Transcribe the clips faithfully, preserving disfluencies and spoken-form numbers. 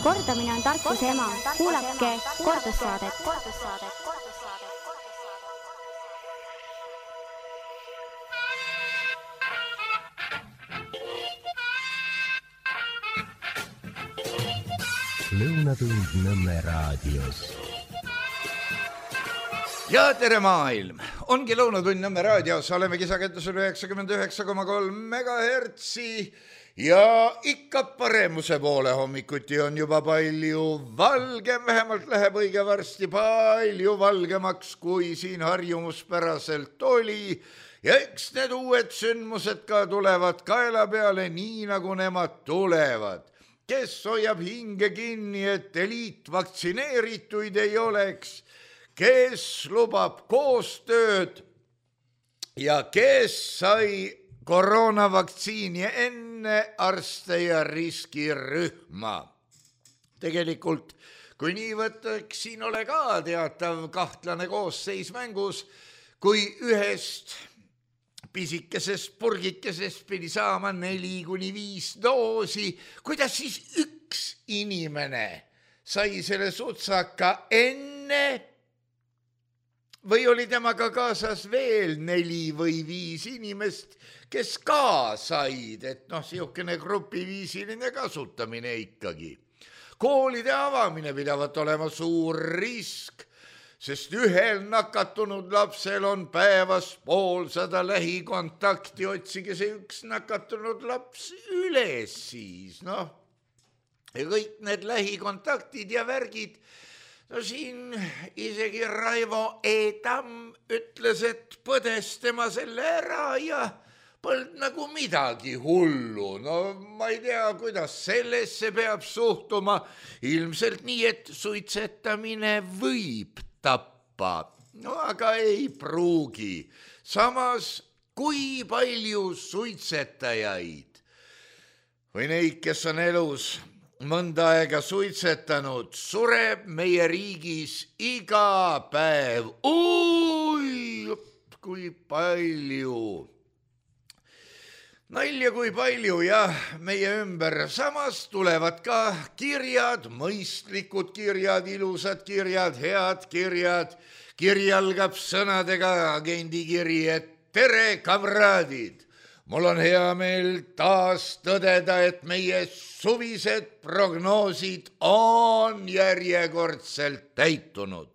Kordamine on tarkuse ema. Kuulake kordussaadet. Lõunatund Nõmme raadios. Ja tere maailm! Ongi Lõunatund Nõmme raadios. Oleme kisaketusel üheksakümmend üheksa koma kolm megahertsi ja ikka paremuse poole hommikuti on juba palju valgem. Vähemalt läheb õige varsti palju valgemaks, kui siin harjumuspäraselt oli. Ja eks need uued sündmused ka tulevad kaela peale, nii nagu nemad tulevad. Kes hoiab hinge kinni, et eliitvaktsineerituid ei oleks, kes lubab koostööd ja kes sai koroonavaktsiini enne arste ja riskirühma. Tegelikult, kui nii võtaks, siin ole ka teatav kahtlane koosseis mängus, kui ühest pisikesest purgikesest pidi saama neli kuni viis doosi, kuidas siis üks inimene sai selle sutsaka enne või oli temaga kaasas veel neli või viis inimest, kes ka said, et noh, siukene grupiviisiline kasutamine ikkagi. Koolide avamine pidavat olema suur risk, sest ühel nakatunud lapsel on päevas poolsada lähikontakti, otsige see üks nakatunud laps üles siis, noh. Ja kõik need lähikontaktid ja värgid, no siin isegi Raivo E. Tamm ütles, et põdes tema selle ära ja polnud nagu midagi hullu. No ma ei tea, kuidas sellesse peab suhtuma, ilmselt nii, et suitsetamine võib tappa, no aga ei pruugi. Samas, kui palju suitsetajaid või neid, kes on elus mõnda aega suitsetanud, sureb meie riigis iga päev. Ui, kui palju. Nalja kui palju, jah, meie ümber. Samas tulevad ka kirjad, mõistlikud kirjad, ilusad kirjad, head kirjad. Kiri algab sõnadega agendikiri, et tere, kamraadid! Mul on hea meel taas tõdeda, et meie suvised prognoosid on järjekordselt täitunud.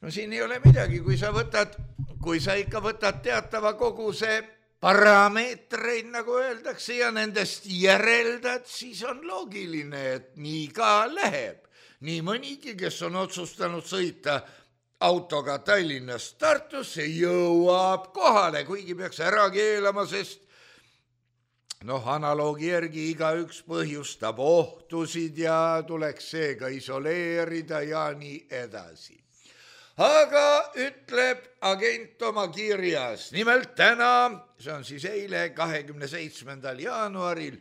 No siin ei ole midagi, kui sa võtad, kui sa ikka võtad teatava koguse parameetreid, nagu öeldakse, ja nendest järeldad, siis on loogiline, et nii ka läheb. Nii mõnigi, kes on otsustanud sõita autoga Tallinnast Tartusse, jõuab kohale, kuigi peaks ära keelama, sest noh, analoogi järgi igaüks põhjustab ohtusid ja tuleks seega isoleerida ja nii edasi. Aga ütleb agent oma kirjas, nimelt täna, see on siis eile kahekümne seitsmendal jaanuaril,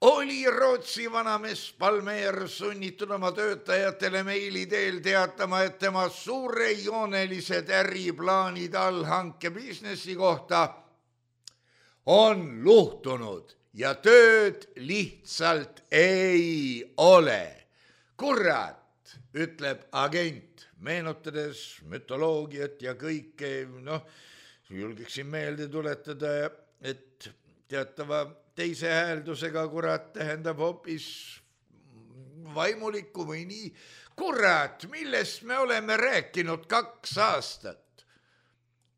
oli Rootsi vanamees Palmer sunnitud oma töötajatele meili teel teatama, et tema suurejoonelised äriplaanid allhanke businessi kohta on luhtunud ja tööd lihtsalt ei ole. Kurat, ütleb agent. Meenutades mütoloogiat ja kõike, noh, julgeksin meelde tuletada, et teatava teise hääldusega kurat tähendab hoopis vaimulikku või nii. Kurat, millest me oleme rääkinud kaks aastat.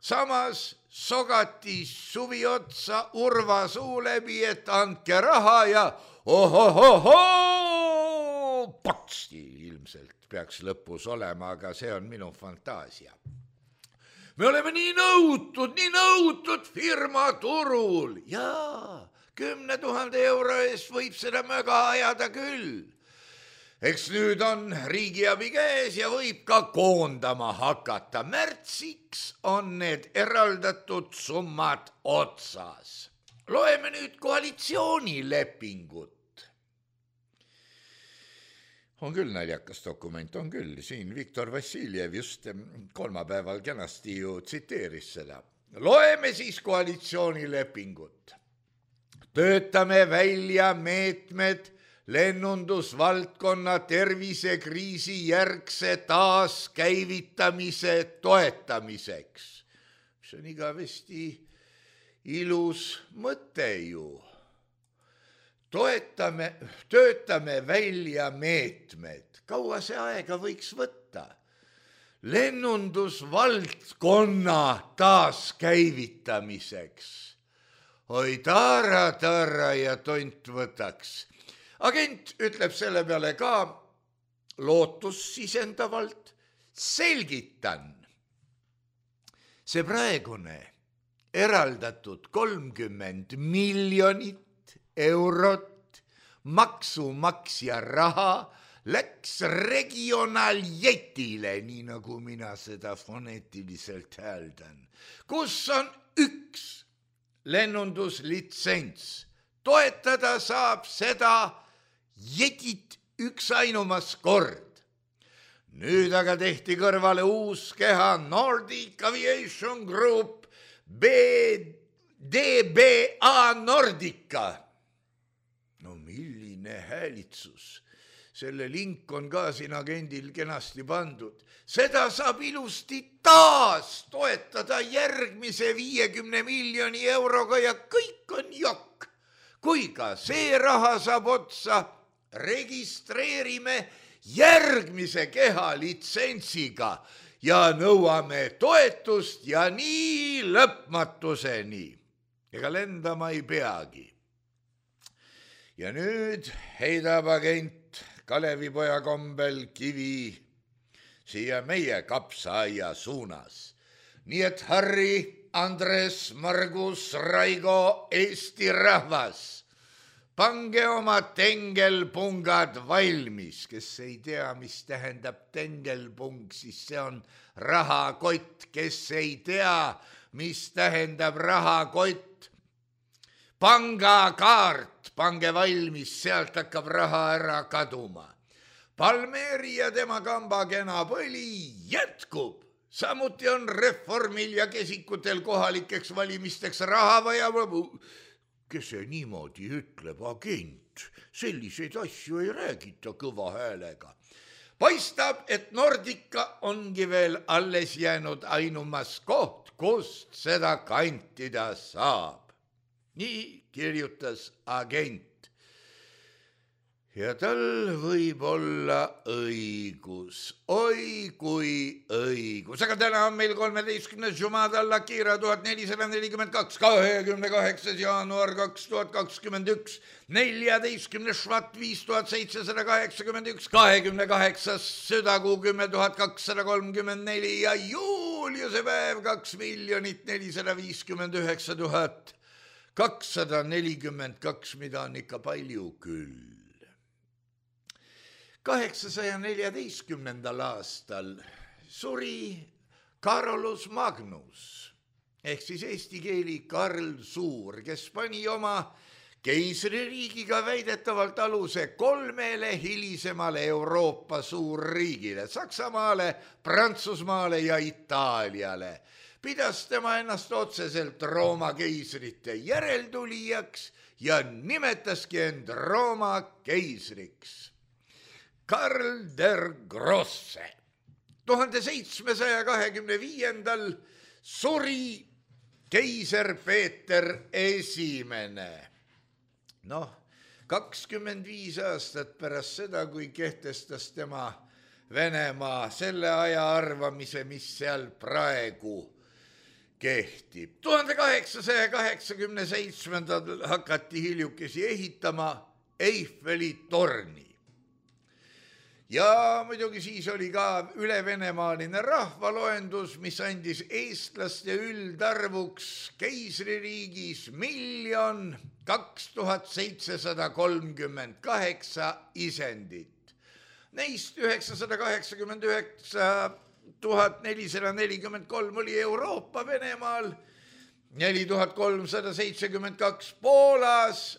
Samas sogati suvi otsa Urva suu läbi, et andke raha ja ohohoho, potsti ilmselt peaks lõpus olema, aga see on minu fantaasia. Me oleme nii nõutud, nii nõutud firma turul. Jaa, kümne tuhande euro eest võib seda möga ajada küll. Eks nüüd on riigiabi käes ja võib ka koondama hakata. Märtsiks on need eraldatud summad otsas. Loeme nüüd koalitsioonilepingut. On küll naljakas dokument, on küll. Siin Viktor Vassiljev just kolmapäeval kenasti ju tsiteeris seda. Loeme siis koalitsioonilepingut. Töötame välja meetmed lennundusvaldkonna tervisekriisi järgse taaskäivitamise toetamiseks. See on igavesti ilus mõte ju. Toetame, töötame välja meetmed. Kaua see aega võiks võtta? Lennundusvaldkonna taaskäivitamiseks. Oi taara, taara ja tont võtaks. Agent ütleb selle peale ka lootussisendavalt. Selgitan. See praegune eraldatud kolmkümmend miljonit eurot maksumaksja raha läks regionaaljetile, nii nagu mina seda foneetiliselt hääldan, kus on üks lennunduslitsents. Toetada saab seda jetit üks ainumas kord. Nüüd aga tehti kõrvale uus keha Nordic Aviation Group B D B A Nordica. No milline häälitsus. Selle link on ka siin agendil kenasti pandud. Seda saab ilusti taas toetada järgmise viiekümne miljoni euroga ja kõik on jokk. Kui ka see raha saab otsa, registreerime järgmise keha litsentsiga ja nõuame toetust ja nii lõpmatuseni. Ega lendama ei peagi. Ja nüüd heidab agent Kalevipoja kombel kivi siia meie kapsaaia suunas. Nii et Harri, Andres, Margus, Raigo, Eesti rahvas, pange oma tengelpungad valmis. Kes ei tea, mis tähendab tengelpung, siis see on rahakott. Kes ei tea, mis tähendab rahakott, pangakaart, pange valmis, sealt hakkab raha ära kaduma. Palmeeri ja tema kamba kena põli jätkub. Samuti on reformil ja kesikutel kohalikeks valimisteks raha vaja. Kes see niimoodi ütleb, agent? Selliseid asju ei räägita kõva häälega. Paistab, et Nordica ongi veel alles jäänud ainumas koht, kust seda kantida saab. Nii kirjutas agent. Ja tal võib olla õigus. Oi kui õigus. Aga täna on meil kolmeteistkümnes Jumadalla Kira tuhat nelisada nelikümmend kaks, kahekümne kaheksas jaanuar kaks tuhat kakskümmend üks, neljateistkümnes Švat viis tuhat seitsesada kaheksakümmend üks, kahekümne kaheksas Südakuu kümme tuhat kakssada kolmkümmend neli ja Juuliuse päev kaks miljonit nelisada viiskümmend üheksa tuhat kakssada nelikümmend kaks, mida on ikka palju küll. kaheksasaja neljateistkümnendal aastal suri Carolus Magnus ehk siis eesti keeli Karl Suur, kes pani oma keisririigiga väidetavalt aluse kolmele hilisemale Euroopa suurriigile, Saksamaale, Prantsusmaale ja Itaaliale. Pidas tema ennast otseselt Rooma keisrite järeltulijaks ja nimetaski end Rooma keisriks. Karl der Grosse. tuhande seitsmesaja kahekümne viiendal suri keiser Peeter Esimene. Noh, kakskümmend viis aastat pärast seda, kui kehtestas tema Venemaa selle aja arvamise, mis seal praegu kehtib. tuhande kaheksasaja kaheksakümne seitsmendal hakati hiljukesi ehitama Eiffeli torni. Ja muidugi siis oli ka ülevenemaaline rahvaloendus, mis andis eestlaste üldarvuks keisririigis miljon kaks tuhat seitsesada kolmkümmend kaheksa isendit. Neist üheksasada kaheksakümmend üheksa tuhat nelisada nelikümmend kolm oli Euroopa Venemaal, neli tuhat kolmsada seitsekümmend kaks Poolas,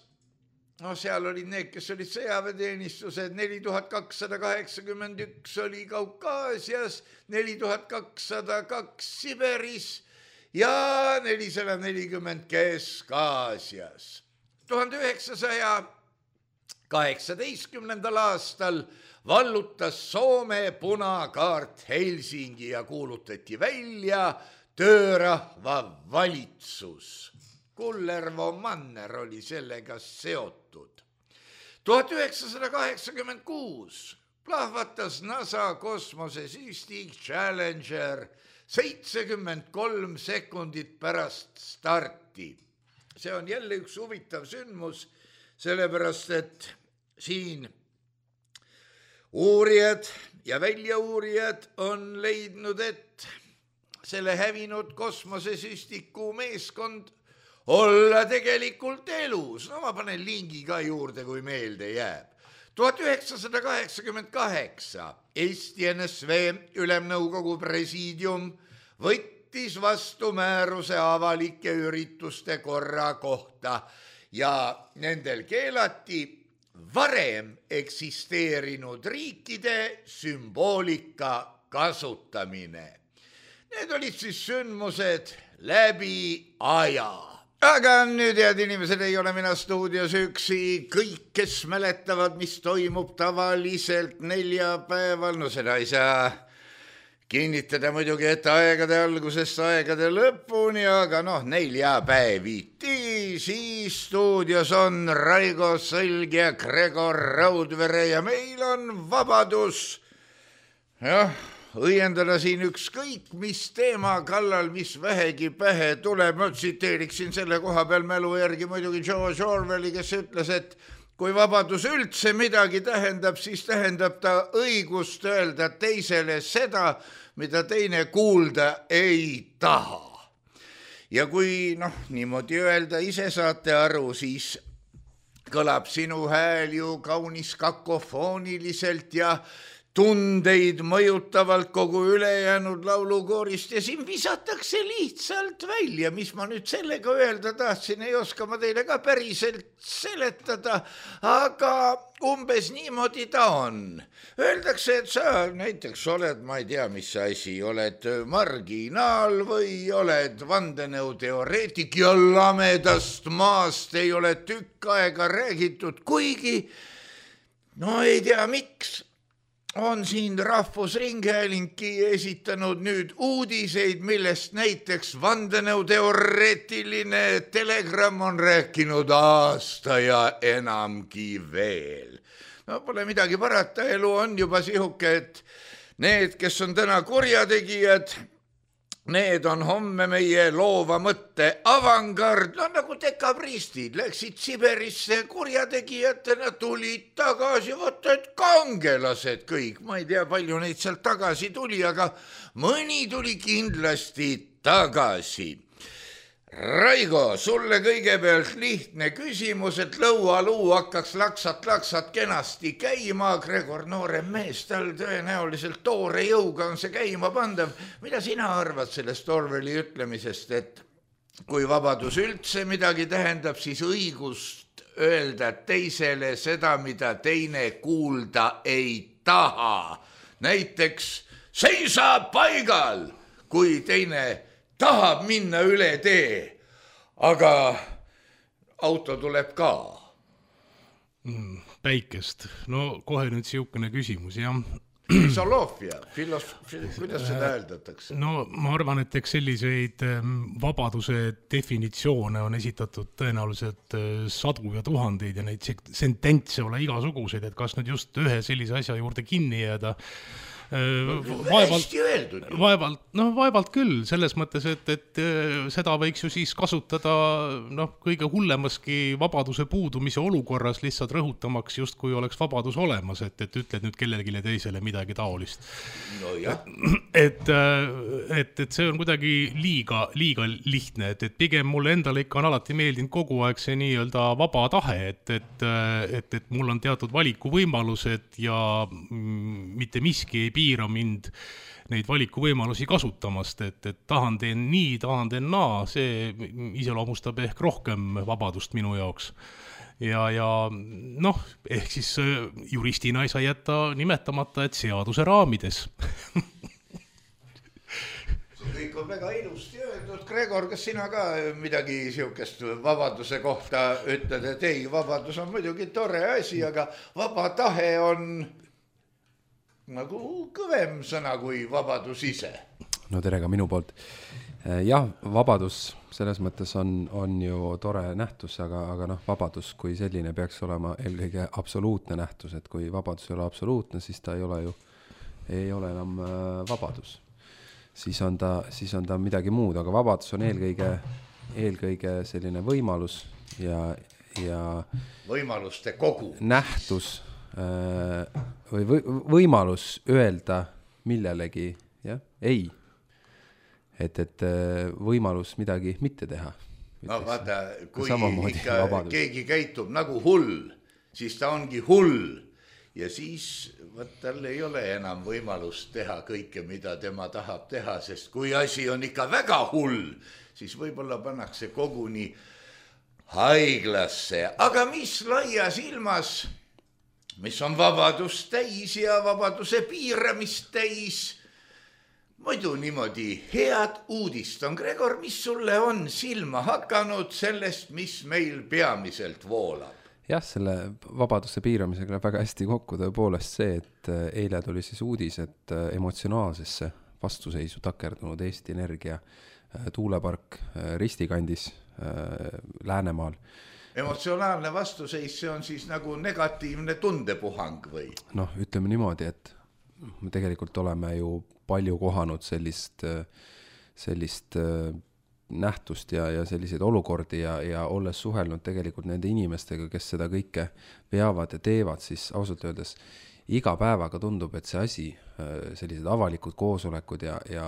no seal olid need, kes olid sõjaväeteenistused, neli tuhat kakssada kaheksakümmend üks oli Kaukaasias, neli tuhat kakssada kaks Siberis ja nelisada nelikümmend Kesk-Aasias. tuhande üheksasaja kaheksateistkümnendal aastal vallutas Soome punakaart Helsingi ja kuulutati välja töörahva valitsus. Kullervo Manner oli sellega seotud. tuhat üheksasada kaheksakümmend kuus plahvatas NASA kosmosesüstik Challenger seitsekümmend kolm sekundit pärast starti. See on jälle üks huvitav sündmus, sellepärast et siin uurijad ja väljauurijad on leidnud, et selle hävinud kosmosesüstiku meeskond olla tegelikult elus. No ma panen lingi ka juurde, kui meelde jääb. tuhat üheksasada kaheksakümmend kaheksa Eesti N S V Ülemnõukogu presiidium võttis vastu määruse avalike ürituste korra kohta ja nendel keelati varem eksisteerinud riikide sümboolika kasutamine. Need olid siis sündmused läbi aja. Aga nüüd, head inimesed, ei ole mina stuudios üksi. Kõik, kes mäletavad, mis toimub tavaliselt neljapäeval, no seda ei saa kinnitada muidugi, et aegade algusest aegade lõpuni, aga noh, neljapäeviti. Siis stuudios on Raigo Sõlg ja Gregor Raudvere ja meil on vabadus jah, õiendada siin ükskõik mis teema kallal, mis vähegi pähe tuleb. Ma tsiteeriksin selle koha peal mälu järgi muidugi George Orwelli, kes ütles, et kui vabadus üldse midagi tähendab, siis tähendab ta õigust öelda teisele seda, mida teine kuulda ei taha. Ja kui noh, niimoodi öelda ise saate aru, siis kõlab sinu hääl ju kaunis kakofooniliselt ja tundeid mõjutavalt kogu ülejäänud laulukoorist ja siin visatakse lihtsalt välja. Mis ma nüüd sellega öelda tahtsin, ei oska ma teile ka päriselt seletada, aga umbes niimoodi ta on. Öeldakse, et sa näiteks oled, ma ei tea, mis asi, oled marginaal või oled vandenõuteoreetik ja lamedast maast ei ole tükk aega räägitud, kuigi no ei tea miks. On siin Rahvusringhäälingi esitanud nüüd uudiseid, millest näiteks vandenõuteoreetiline Telegram on rääkinud aasta ja enamgi veel. No pole midagi parata, elu on juba sihuke, et need, kes on täna kurjategijad, need on homme meie loova mõtte avangard, no nagu dekabristid, läksid Siberisse kurjategijatena, tulid tagasi, võtta, et kangelased kõik, ma ei tea, palju neid sealt tagasi tuli, aga mõni tuli kindlasti tagasi. Raigo, sulle kõigepealt lihtne küsimus, et lõualuu hakkaks laksat-laksat kenasti käima. Gregor, noorem mees, tal tõenäoliselt toore jõuga on see käima pandav. Mida sina arvad sellest Orwelli ütlemisest, et kui vabadus üldse midagi tähendab, siis õigust öelda teisele seda, mida teine kuulda ei taha. Näiteks seisa paigal, kui teine tahab minna üle tee, aga auto tuleb ka. Mm, päikest. No kohe nüüd siukene küsimus, jah. Filosoofia, filos- kuidas seda öeldatakse? No ma arvan, et eks selliseid vabaduse definitsioone on esitatud tõenäoliselt sadu ja tuhandeid ja neid sententse ole igasuguseid, et kas nüüd just ühe sellise asja juurde kinni jääda. Vaevalt, vaevalt, no vaevalt küll, selles mõttes, et, et seda võiks ju siis kasutada noh, kõige hullemaski vabaduse puudumise olukorras lihtsalt rõhutamaks just kui oleks vabadus olemas, et, et ütled nüüd kellelegi teisele midagi taolist. No jah. Et, et, et see on kuidagi liiga, liiga lihtne, et, et pigem mulle endale ikka on alati meeldinud kogu aeg see nii-öelda vaba tahe, et, et, et, et mul on teatud valikuvõimalused ja mitte miski ei piira mind neid valikuvõimalusi kasutamast, et, et tahan teen nii, tahan teen naa, see iseloomustab ehk rohkem vabadust minu jaoks. Ja, ja noh, ehk siis juristina ei saa jätta nimetamata, et seaduse raamides. See kõik on väga ilusti öeldud, Gregor, kas sina ka midagi siukest vabaduse kohta ütled, et ei, vabadus on muidugi tore asi, aga vaba tahe on nagu kõvem sõna kui vabadus ise? No tere ka minu poolt. Jah, vabadus selles mõttes on, on ju tore nähtus, aga, aga noh, vabadus kui selline peaks olema eelkõige absoluutne nähtus, et kui vabadus ei ole absoluutne, siis ta ei ole ju, ei ole enam vabadus. Siis on ta, siis on ta midagi muud, aga vabadus on eelkõige, eelkõige selline võimalus ja, ja võimaluste kogu. Nähtus või võimalus öelda millelegi, jah, ei. Et, et võimalus midagi mitte teha. No vaata, kui ikka vabadus. Keegi käitub nagu hull, siis ta ongi hull. Ja siis võt, tal ei ole enam võimalust teha kõike, mida tema tahab teha, sest kui asi on ikka väga hull, siis võib-olla pannakse koguni haiglasse. Aga mis laias ilmas, mis on vabadus täis ja vabaduse piiramist täis, muidu niimoodi head uudist on. Gregor, mis sulle on silma hakanud sellest, mis meil peamiselt voolab? Jah, selle vabaduse piiramisega läheb väga hästi kokku tõepoolest see, et eile tuli siis uudis, et emotsionaalsesse vastuseisu takerdunud Eesti Energia tuulepark Ristikandis Läänemaal. Emotsionaalne vastuseis, see on siis nagu negatiivne tundepuhang või? Noh, ütleme niimoodi, et me tegelikult oleme ju palju kohanud sellist, sellist nähtust ja, ja selliseid olukordi ja, ja olles suhelnud tegelikult nende inimestega, kes seda kõike veavad ja teevad, siis ausalt öeldes iga päevaga tundub, et see asi, sellised avalikud koosolekud ja, ja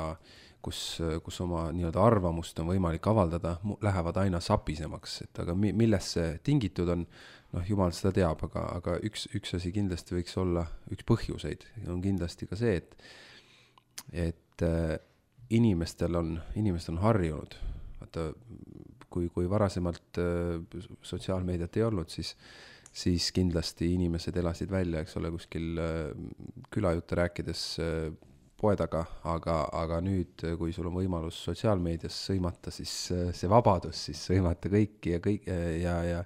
kus, kus oma nii-öelda arvamust on võimalik avaldada, lähevad aina sapisemaks, et aga milles see tingitud on, noh, jumal seda teab, aga, aga üks, üks asi kindlasti võiks olla, üks põhjuseid on kindlasti ka see, et et äh, inimestel on, inimestel on harjunud. Vaata, kui, kui varasemalt äh, sotsiaalmeediat ei olnud, siis, siis kindlasti inimesed elasid välja, eks ole, kuskil äh, külajutte rääkides äh, poe taga, aga, aga nüüd, kui sul on võimalus sotsiaalmeedias sõimata, siis äh, see vabadus, siis sõimata kõiki ja, kõik, ja, ja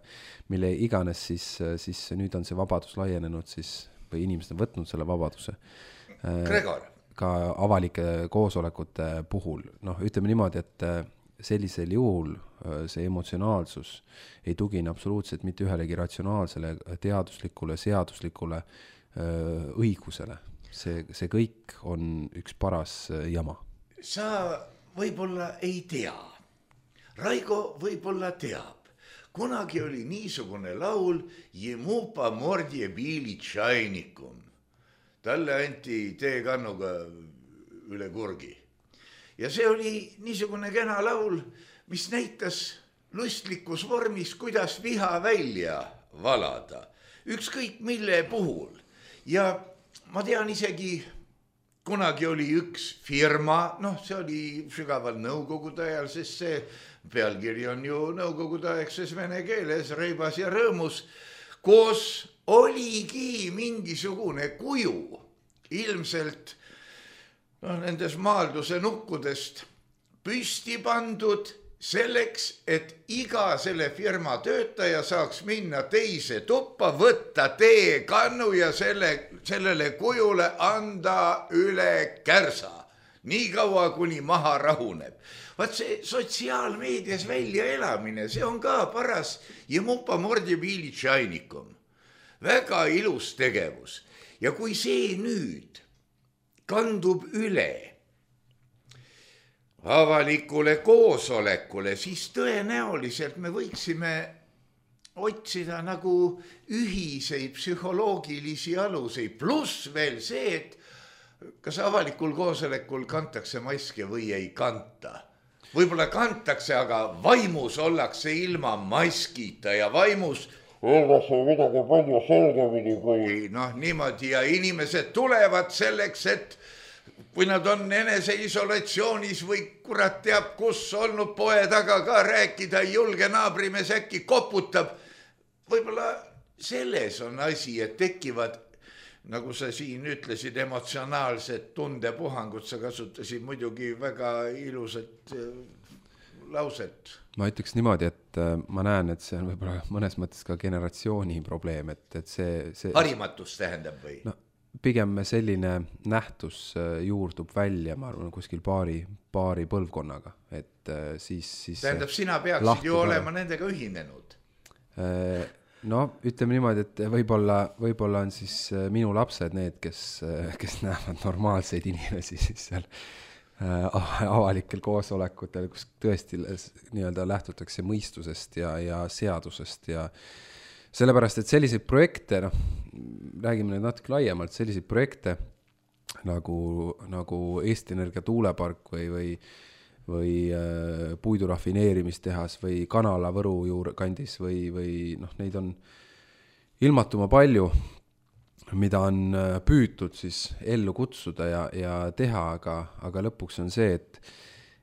mille iganes, siis, siis nüüd on see vabadus laienenud, siis, või inimesed on võtnud selle vabaduse. Äh, Gregor. Ka avalike koosolekute puhul. Noh, ütleme niimoodi, et sellisel juhul see emotsionaalsus ei tugine absoluutselt mitte ühelegi ratsionaalsele, teaduslikule, seaduslikule õigusele. See, see kõik on üks paras jama. Sa võib-olla ei tea. Raigo võib-olla teab. Kunagi oli niisugune laul Jemupa mordje biili tšainikum. Talle anti teekannuga üle kurgi. Ja see oli niisugune kena laul, mis näitas lustlikus vormis, kuidas viha välja valada. Ükskõik mille puhul. Ja ma tean isegi, kunagi oli üks firma, noh, see oli sügaval nõukogude ajal, sest see pealkiri on ju nõukogude aegses vene keeles, reibas ja rõõmus, koos oligi mingisugune kuju, ilmselt no, nendes maalduse nukkudest püsti pandud selleks, et iga selle firma töötaja saaks minna teise tuppa, võtta teekannu ja selle, sellele kujule anda üle kärsa. Nii kaua, kuni maha rahuneb. Vaat see sotsiaalmeedias välja elamine, see on ka paras Jemupa mordje biili tšainikum. Väga ilus tegevus. Ja kui see nüüd kandub üle avalikule koosolekule, siis tõenäoliselt me võiksime otsida nagu ühiseid psühholoogilisi aluseid. Pluss veel see, et kas avalikul koosolekul kantakse maske või ei kanta. Võib-olla kantakse, aga vaimus ollakse ilma maskita ja vaimus öeldakse midagi palju selgemini kui noh, niimoodi ja inimesed tulevad selleks, et kui nad on eneseisolatsioonis või kurat teab, kus olnud poe taga ka rääkida, ei julge naabrimees äkki koputab. Võib-olla selles on asi, et tekivad, nagu sa siin ütlesid, emotsionaalsed tundepuhangud, sa kasutasid muidugi väga ilusat lauset. Ma ütleks niimoodi, et ma näen, et see on võib-olla mõnes mõttes ka generatsiooni probleem, et, et see, see... harimatus tähendab või? No, pigem selline nähtus juurdub välja, ma arvan, kuskil paari, paari põlvkonnaga, et siis... siis tähendab, sina peaksid ju olema nendega ühinenud. No, ütleme niimoodi, et võib-olla, võib-olla on siis minu lapsed need, kes, kes näevad normaalseid inimesi siis seal avalikel koosolekutel, kus tõesti nii-öelda lähtutakse mõistusest ja, ja seadusest ja sellepärast, et selliseid projekte, noh, räägime nüüd natuke laiemalt, selliseid projekte nagu, nagu Eesti Energia tuulepark või, või, või äh, puidurafineerimistehas või kanala Võru juurde kandis või, või noh, neid on ilmatuma palju, mida on püütud siis ellu kutsuda ja, ja teha, aga, aga lõpuks on see, et,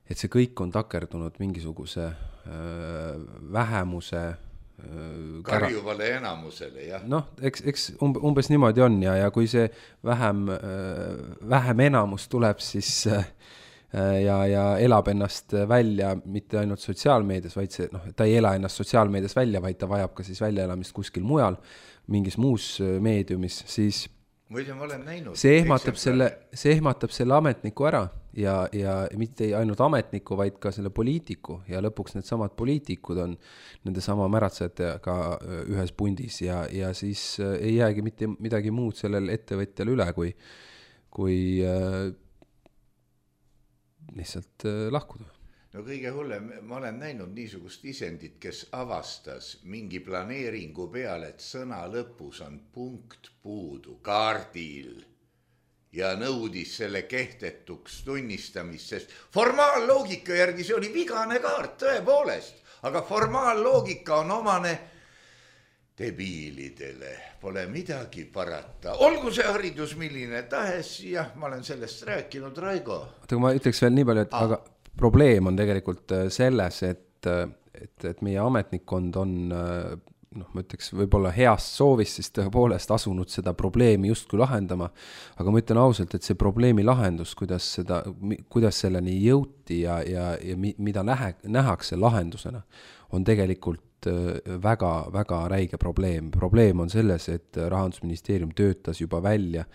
et see kõik on takerdunud mingisuguse äh, vähemuse karjuvale enamusele, jah. Noh, eks, eks umbes niimoodi on ja, ja kui see vähem, vähem enamus tuleb siis ja, ja elab ennast välja mitte ainult sotsiaalmeedias, vaid see, noh, ta ei ela ennast sotsiaalmeedias välja, vaid ta vajab ka siis väljaelamist kuskil mujal, mingis muus meediumis, siis muide, ma olen näinud, see ehmatab selle, see ehmatab selle ametniku ära ja, ja mitte ainult ametniku, vaid ka selle poliitiku ja lõpuks need samad poliitikud on nende sama märatsejatega ühes pundis ja, ja siis ei jäägi mitte midagi muud sellel ettevõtjal üle, kui, kui äh, lihtsalt äh, lahkuda. No kõige hullem, ma olen näinud niisugust isendit, kes avastas mingi planeeringu peale, et sõna lõpus on punkt puudu kaardil ja nõudis selle kehtetuks tunnistamist, sest formaalloogika järgi see oli vigane kaart tõepoolest, aga formaalloogika on omane debiilidele, pole midagi parata. Olgu see haridus milline tahes, jah, ma olen sellest rääkinud, Raigo. Aga ma ütleks veel nii palju, et ah. aga probleem on tegelikult selles, et, et, et meie ametnikkond on, noh, ma ütleks võib-olla heast soovist siis tõepoolest asunud seda probleemi justkui lahendama, aga ma ütlen ausalt, et see probleemi lahendus, kuidas, seda, kuidas selleni jõuti ja, ja, ja mida nähe, nähakse lahendusena, on tegelikult väga, väga räige probleem. Probleem on selles, et Rahandusministeerium töötas juba välja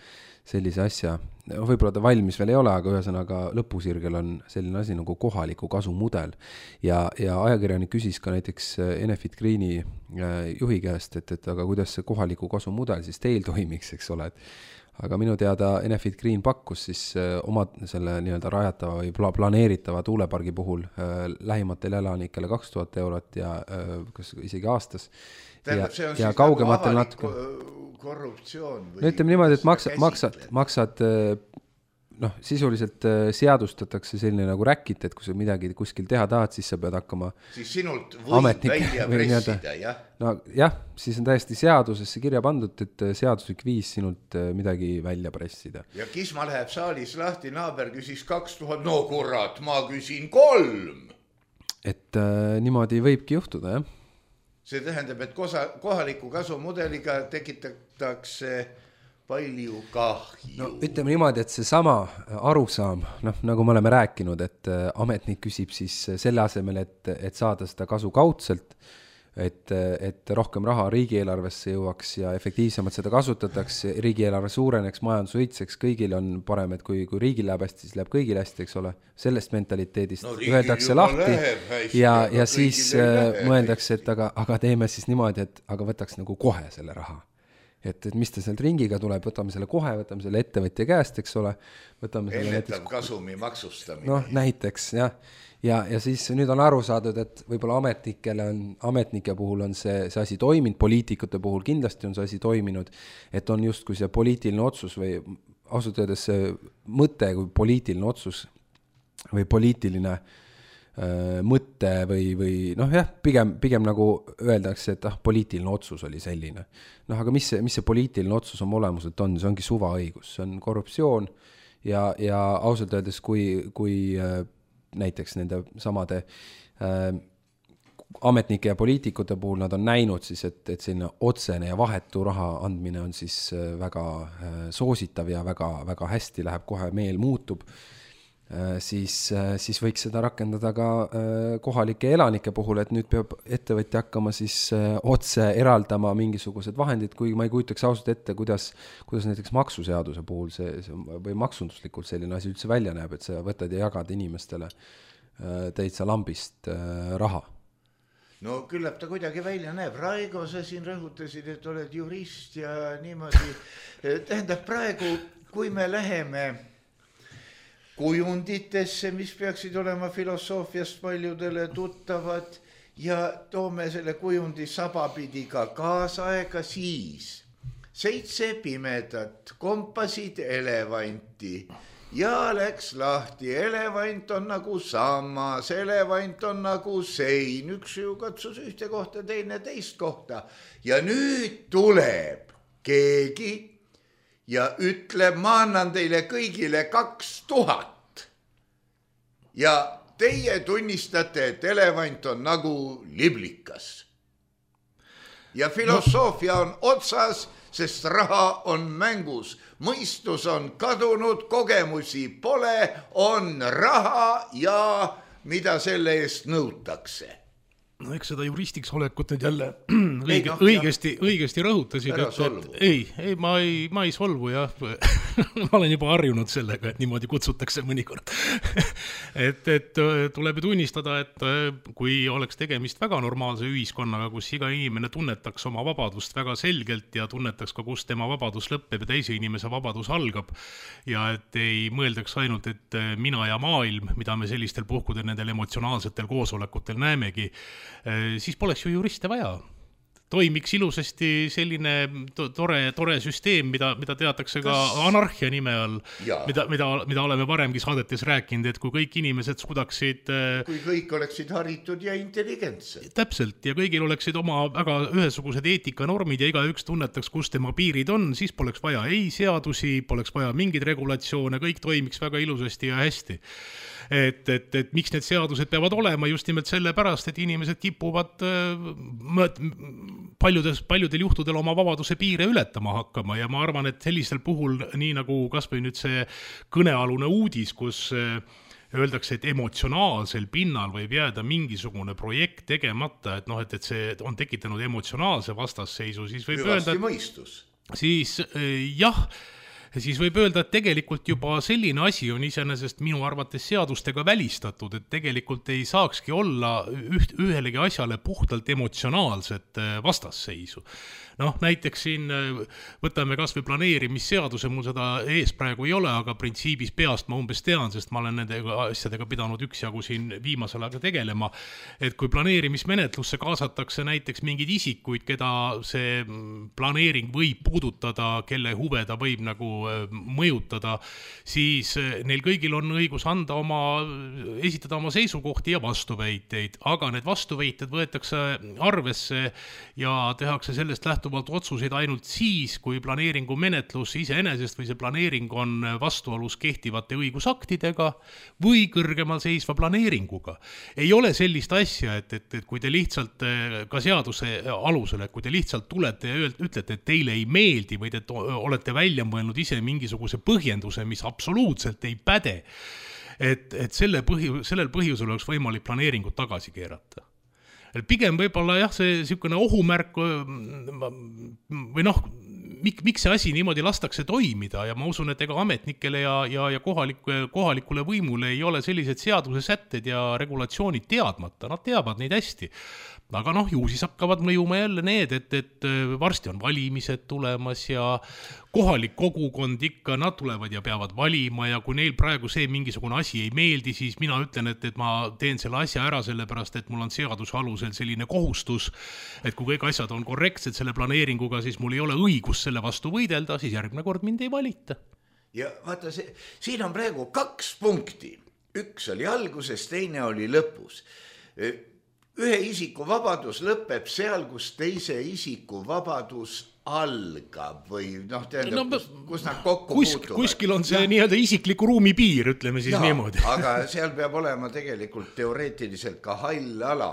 sellise asja, võib-olla ta valmis veel ei ole, aga ühesõnaga lõpusirgel on selline asi nagu kohaliku kasu mudel ja, ja ajakirjanik küsis ka näiteks Enefit Greeni juhi käest, et, et aga kuidas see kohaliku kasu mudel siis teil toimiks, eks ole, et aga minu teada Enefit Green pakkus siis oma selle nii-öelda rajatava või planeeritava tuulepargi puhul äh, lähimatele elanikele kaks tuhat eurot ja äh, kas isegi aastas. Tähendab, see on ja siis kaugematel nagu natuke korruptsioon või... No ütleme niimoodi, et maksad, maksad, maksad noh, sisuliselt seadustatakse selline nagu räkit, et kui sa midagi kuskil teha tahad, siis sa pead hakkama siis sinult võib välja pressida, jah? No jah, siis on täiesti seadusesse kirja pandud, et seaduslik viis sinult midagi välja pressida. Ja Kisma läheb saalis lahti, naaber küsis kaks tuhat, no kurat, ma küsin kolm. Et äh, niimoodi võibki juhtuda, jah? See tähendab, et kosa, kohaliku kasumudeliga tekitatakse palju kahju. No ütleme niimoodi, et see sama arusaam, noh, nagu me oleme rääkinud, et ametnik küsib siis selle asemel, et, et saada seda kasu kaudselt, et, et rohkem raha riigieelarvesse jõuaks ja efektiivsemalt seda kasutatakse, riigieelarve suureneks, majandus õitseks, kõigil on parem, et kui, kui riigil läheb hästi, siis läheb kõigil hästi, eks ole, sellest mentaliteedist no, öeldakse lahti hästi, ja, ja siis mõeldakse, et aga, aga teeme siis niimoodi, et aga võtaks nagu kohe selle raha. Et, et mis ta sealt ringiga tuleb, võtame selle kohe, võtame selle ettevõtja käest, eks ole. Ennetav näiteks... kasumi maksustamine. Noh, näiteks, jah. Ja, ja siis nüüd on aru saadud, et võib-olla ametnikele on, ametnike puhul on see, see asi toiminud, poliitikute puhul kindlasti on see asi toiminud, et on justkui see poliitiline otsus või ausalt öeldes see mõte kui poliitiline otsus või poliitiline äh, mõte või, või noh jah, pigem, pigem nagu öeldakse, et ah, poliitiline otsus oli selline. Noh, aga mis see, mis see poliitiline otsus oma olemuselt on? See ongi suvaõigus, see on korruptsioon ja, ja ausalt öeldes, kui, kui äh, näiteks nende samade äh, ametnike ja poliitikute puhul nad on näinud siis, et, et selline otsene ja vahetu raha andmine on siis väga äh, soositav ja väga, väga hästi läheb, kohe meel muutub. siis, siis võiks seda rakendada ka kohalike elanike puhul, et nüüd peab ettevõtja hakkama siis otse eraldama mingisugused vahendid, kui ma ei kujutaks ausalt ette, kuidas, kuidas näiteks maksuseaduse puhul see, see või maksunduslikult selline asi üldse välja näeb, et sa võtad ja jagad inimestele täitsa lambist raha. No küllap ta kuidagi välja näeb. Raigo, sa siin rõhutasid, et oled jurist ja niimoodi. Tähendab praegu, kui me läheme kujunditesse, mis peaksid olema filosoofiast paljudele tuttavad ja toome selle kujundi sabapidi ka kaasaega, siis seitse pimedat kompasid elevanti ja läks lahti. Elevant on nagu sammas, elevant on nagu sein, üks ju katsus ühte kohta, teine teist kohta ja nüüd tuleb keegi ja ütleb, ma annan teile kõigile kaks tuhat. Ja teie tunnistate, et elevant on nagu liblikas. Ja filosoofia on otsas, sest raha on mängus. Mõistus on kadunud, kogemusi pole, on raha ja mida selle eest nõutakse. No eks seda juristiks olekut nüüd jälle õige, ei, no, õigesti, õigesti rõhutasid, et, et ei, ei, ma ei, ma ei solvu jah. Ma olen juba harjunud sellega, et niimoodi kutsutakse mõnikord. et, et tuleb tunnistada, et kui oleks tegemist väga normaalse ühiskonnaga, kus iga inimene tunnetaks oma vabadust väga selgelt ja tunnetaks ka, kus tema vabadus lõpeb ja teise inimese vabadus algab ja et ei mõeldaks ainult, et mina ja maailm, mida me sellistel puhkudel nendel emotsionaalsetel koosolekutel näemegi, siis poleks ju juriste vaja. Toimiks ilusasti selline tore, tore süsteem, mida, mida teatakse ka anarhia nime all, mida, mida, mida oleme varemgi saadetes rääkinud, et kui kõik inimesed suudaksid... Kui kõik oleksid haritud ja intelligentsed. Täpselt, ja kõigil oleksid oma väga ühesugused eetikanormid ja iga üks tunnetaks, kus tema piirid on, siis poleks vaja ei seadusi, poleks vaja mingeid regulatsioone, kõik toimiks väga ilusasti ja hästi. Et, et, et miks need seadused peavad olema just nimelt selle pärast, et inimesed kipuvad paljudes, paljudel juhtudel oma vabaduse piire ületama hakkama ja ma arvan, et sellisel puhul, nii nagu kas või nüüd see kõnealune uudis, kus öeldakse, et emotsionaalsel pinnal võib jääda mingisugune projekt tegemata, et noh, et, et see on tekitanud emotsionaalse vastasseisu, siis võib Hüvasti öelda, mõistus. Siis jah, siis võib öelda, et tegelikult juba selline asi on iseenesest minu arvates seadustega välistatud, et tegelikult ei saakski olla üht, ühelegi asjale puhtalt emotsionaalset vastasseisu. Noh, näiteks siin võtame kas või planeerimisseaduse, mul seda ees praegu ei ole, aga printsiibis peast ma umbes tean, sest ma olen nende asjadega pidanud üksjagu siin viimasel aega tegelema, et kui planeerimismenetlusse kaasatakse näiteks mingid isikuid, keda see planeering võib puudutada, kelle huve ta võib nagu mõjutada, siis neil kõigil on õigus anda oma, esitada oma seisukohti ja vastuväiteid, aga need vastuväited võetakse arvesse ja tehakse sellest lähtuvalt otsuseid ainult siis, kui planeeringu menetlus iseenesest või see planeering on vastuolus kehtivate õigusaktidega või kõrgemal seisva planeeringuga. Ei ole sellist asja, et, et, et kui te lihtsalt ka seaduse alusel, et kui te lihtsalt tulete ja ütlete, et teile ei meeldi või te olete välja mõelnud ise mingisuguse põhjenduse, mis absoluutselt ei päde, et, et selle põhi, sellel põhjusel oleks võimalik planeeringut tagasi keerata. Pigem võib-olla jah, see niisugune ohumärk või noh, mik, miks see asi niimoodi lastakse toimida ja ma usun, et ega ametnikele ja, ja, ja kohalikule, kohalikule võimule ei ole sellised seaduse sätted ja regulatsioonid teadmata, nad teavad neid hästi. Aga noh, ju siis hakkavad mõjuma jälle need, et, et varsti on valimised tulemas ja kohalik kogukond ikka, nad tulevad ja peavad valima ja kui neil praegu see mingisugune asi ei meeldi, siis mina ütlen, et, et ma teen selle asja ära sellepärast, et mul on seaduse alusel selline kohustus, et kui kõik asjad on korrektsed selle planeeringuga, siis mul ei ole õigus selle vastu võidelda, siis järgmine kord mind ei valita. Ja vaata, see, siin on praegu kaks punkti. Üks oli alguses, teine oli lõpus. Ühe isiku vabadus lõpeb seal, kus teise isiku vabadus algab või noh, tähendab, no, kus, kus nad kokku kus, puutuvad. Kuskil on see ja, nii-öelda isikliku ruumi piir, ütleme siis ja, niimoodi. Aga seal peab olema tegelikult teoreetiliselt ka hall ala,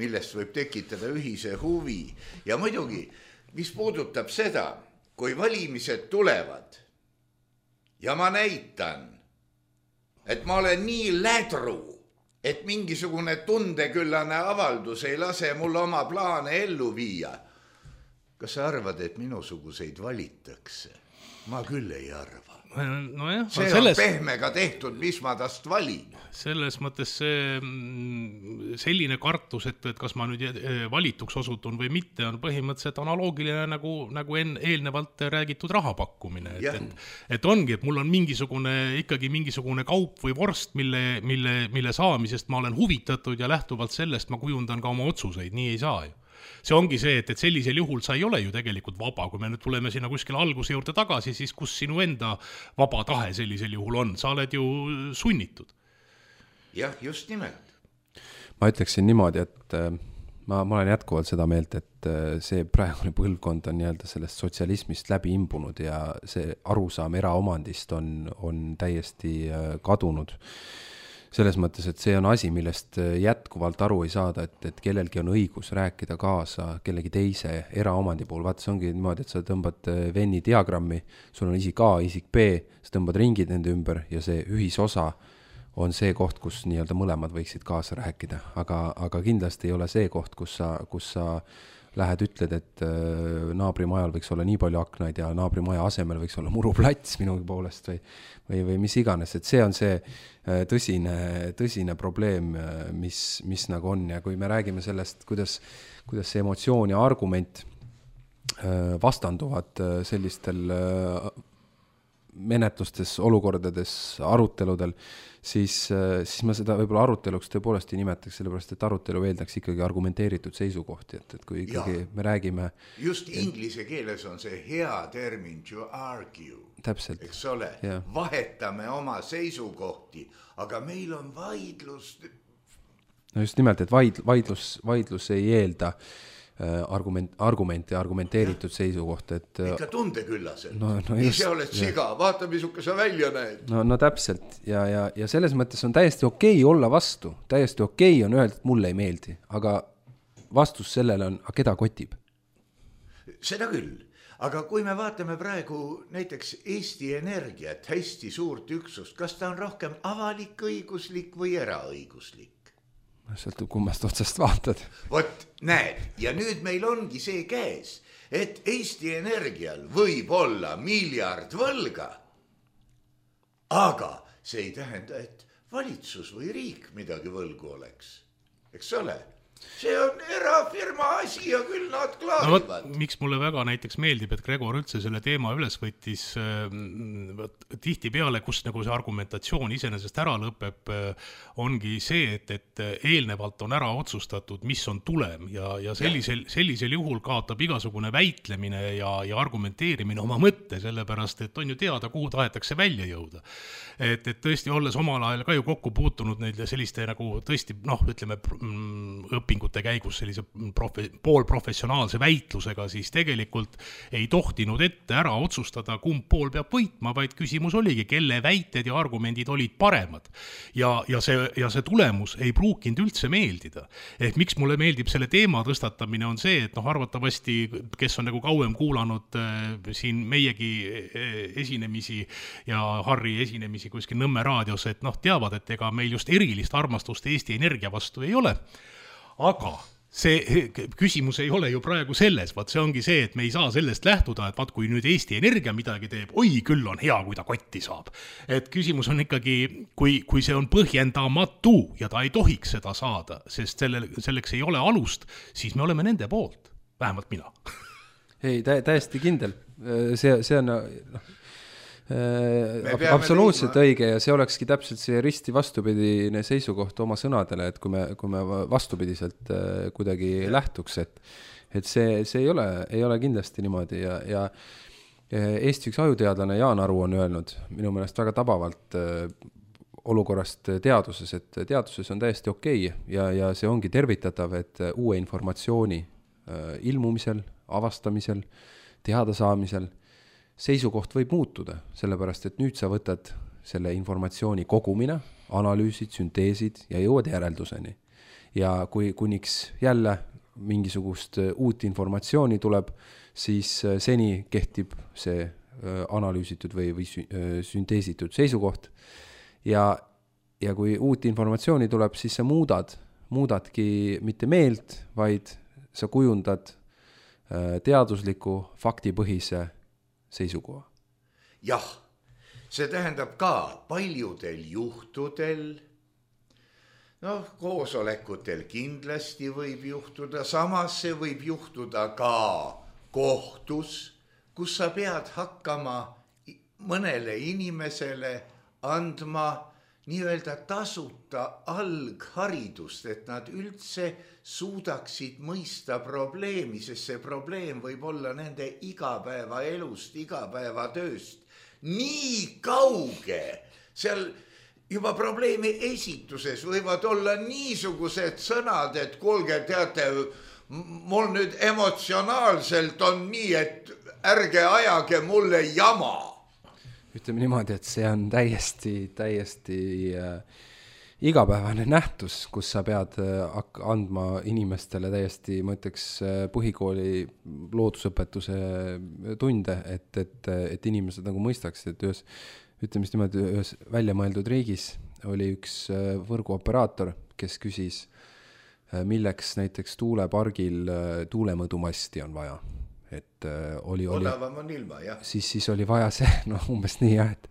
millest võib tekitada ühise huvi. Ja muidugi, mis puudutab seda, kui valimised tulevad ja ma näitan et ma olen nii lädru, et mingisugune tundeküllane avaldus ei lase mul oma plaane ellu viia. Kas sa arvad, et minusuguseid valitakse? Ma küll ei arva. No jah, see selles, on pehmega tehtud, mis ma tast valin. Selles mõttes see selline kartus, et, et kas ma nüüd valituks osutun või mitte, on põhimõtteliselt analoogiline nagu, nagu en, eelnevalt räägitud rahapakkumine. Et, et, et ongi, et mul on mingisugune, ikkagi mingisugune kaup või vorst, mille, mille, mille saamisest ma olen huvitatud ja lähtuvalt sellest ma kujundan ka oma otsuseid, nii ei saa ju. See ongi see, et, et sellisel juhul sa ei ole ju tegelikult vaba, kui me nüüd tuleme sinna kuskil alguse juurde tagasi, siis kus sinu enda vaba tahe sellisel juhul on, sa oled ju sunnitud. Jah, just nimelt. Ma ütleksin niimoodi, et ma, ma olen jätkuvalt seda meelt, et see praegune põlvkond on nii-öelda sellest sotsialismist läbi imbunud ja see arusaam eraomandist on, on täiesti kadunud. Selles mõttes, et see on asi, millest jätkuvalt aru ei saada, et, et kellelgi on õigus rääkida kaasa kellegi teise eraomandi puhul. Vaata, see ongi niimoodi, et sa tõmbad Venni diagrammi, sul on isik A, isik B, sa tõmbad ringid nende ümber ja see ühisosa on see koht, kus nii-öelda mõlemad võiksid kaasa rääkida. Aga, aga kindlasti ei ole see koht, kus sa, kus sa lähed, ütled, et naabrimajal võiks olla nii palju aknaid ja naabrimaja asemel võiks olla muruplats minu poolest või, või, või mis iganes. Et see on see tõsine, tõsine probleem, mis, mis nagu on. Ja kui me räägime sellest, kuidas, kuidas see emotsioon ja argument vastanduvad sellistel menetlustes, olukordades, aruteludel, siis, siis ma seda võib-olla aruteluks tõepoolest ei nimetaks, sellepärast, et arutelu eeldaks ikkagi argumenteeritud seisukohti, et, et kui ikkagi ja, me räägime... Just inglise keeles on see hea termin to argue. Täpselt. Eks ole, ja. Vahetame oma seisukohti, aga meil on vaidlus... No just nimelt, et vaid, vaidlus, vaidlus ei eelda argument, argument ja argumenteeritud ja. Seisukoht, et ikka tundeküllased. No, no just, ise oled siga, vaata, misuke sa välja näed. No, no täpselt ja, ja, ja selles mõttes on täiesti okei olla vastu, täiesti okei on öelda, et mulle ei meeldi, aga vastus sellele on, aga keda kotib? Seda küll, aga kui me vaatame praegu näiteks Eesti Energiat, hästi suurt üksust, kas ta on rohkem avalik õiguslik või eraõiguslik? Sõltub kummast otsast vaatad. Vot, näed, ja nüüd meil ongi see käes, et Eesti Energial võib olla miljard võlga, aga see ei tähenda, et valitsus või riik midagi võlgu oleks. Eks ole? See on erafirma asi ja küll nad klaarivad. No, miks mulle väga näiteks meeldib, et Gregor üldse selle teema üles võttis äh, tihti peale, kus nagu see argumentatsioon iseenesest ära lõpeb, äh, ongi see, et, et eelnevalt on ära otsustatud, mis on tulem ja, ja sellisel, sellisel juhul kaotab igasugune väitlemine ja, ja argumenteerimine oma mõtte, sellepärast, et on ju teada, kuhu tahetakse välja jõuda. Et, et tõesti, olles omal ajal ka ju kokku puutunud neid selliste nagu tõesti, noh, ütleme, õpingute käigus sellise profe, poolprofessionaalse väitlusega, siis tegelikult ei tohtinud ette ära otsustada, kumb pool peab võitma, vaid küsimus oligi, kelle väited ja argumendid olid paremad. Ja, ja, see, ja see tulemus ei pruukinud üldse meeldida. Ehk miks mulle meeldib selle teema tõstatamine on see, et noh, arvatavasti, kes on nagu kauem kuulanud äh, siin meiegi esinemisi ja Harri esinemisi kuskil Nõmme raadios, et noh, teavad, et ega meil just erilist armastust Eesti Energia vastu ei ole. Aga see küsimus ei ole ju praegu selles, vaat see ongi see, et me ei saa sellest lähtuda, et vaat kui nüüd Eesti Energia midagi teeb, oi küll on hea, kui ta kotti saab. Et küsimus on ikkagi, kui, kui see on põhjendamatu ja ta ei tohiks seda saada, sest selle, selleks ei ole alust, siis me oleme nende poolt, vähemalt mina. Ei, tä, täiesti kindel. See, see on... No. Absoluutselt liima. Õige ja see olekski täpselt see risti vastupidine seisukoht oma sõnadele, et kui me, kui me vastupidiselt kuidagi ja. Lähtuks, et, et see, see ei ole, ei ole kindlasti niimoodi ja, ja Eesti üks ajuteadlane Jaan Aru on öelnud minu meelest väga tabavalt olukorrast teaduses, et teaduses on täiesti okei ja, ja see ongi tervitatav, et uue informatsiooni ilmumisel, avastamisel, teadasaamisel seisukoht võib muutuda, sellepärast, et nüüd sa võtad selle informatsiooni kogumina, analüüsid, sünteesid ja jõuad järelduseni. Ja kui kuniks jälle mingisugust uut informatsiooni tuleb, siis seni kehtib see analüüsitud või, või sünteesitud seisukoht. Ja ja kui uut informatsiooni tuleb, siis sa muudad, muudadki mitte meelt, vaid sa kujundad teadusliku faktipõhise seisukoha. Jah, see tähendab ka paljudel juhtudel, noh, koosolekutel kindlasti võib juhtuda, samas see võib juhtuda ka kohtus, kus sa pead hakkama mõnele inimesele andma nii-öelda tasuta algharidust, et nad üldse suudaksid mõista probleemi, sest see probleem võib olla nende igapäevaelust, igapäevatööst nii kauge. Seal juba probleemi esituses võivad olla niisugused sõnad, et kuulge, teate, mul nüüd emotsionaalselt on nii, et ärge ajage mulle jama. Ütleme niimoodi, et see on täiesti, täiesti äh, igapäevane nähtus, kus sa pead äh, andma inimestele täiesti, ma ütleks, äh, põhikooli loodusõpetuse tunde, et, et, et inimesed nagu mõistaks, et ühes, ütleme niimoodi, ühes välja mõeldud riigis oli üks äh, võrguoperaator, kes küsis, äh, milleks näiteks tuulepargil äh, tuulemõõdumasti on vaja. Et äh, oli, oli, odavam on ilma, jah. Siis, siis oli vaja see, no umbes nii jah, et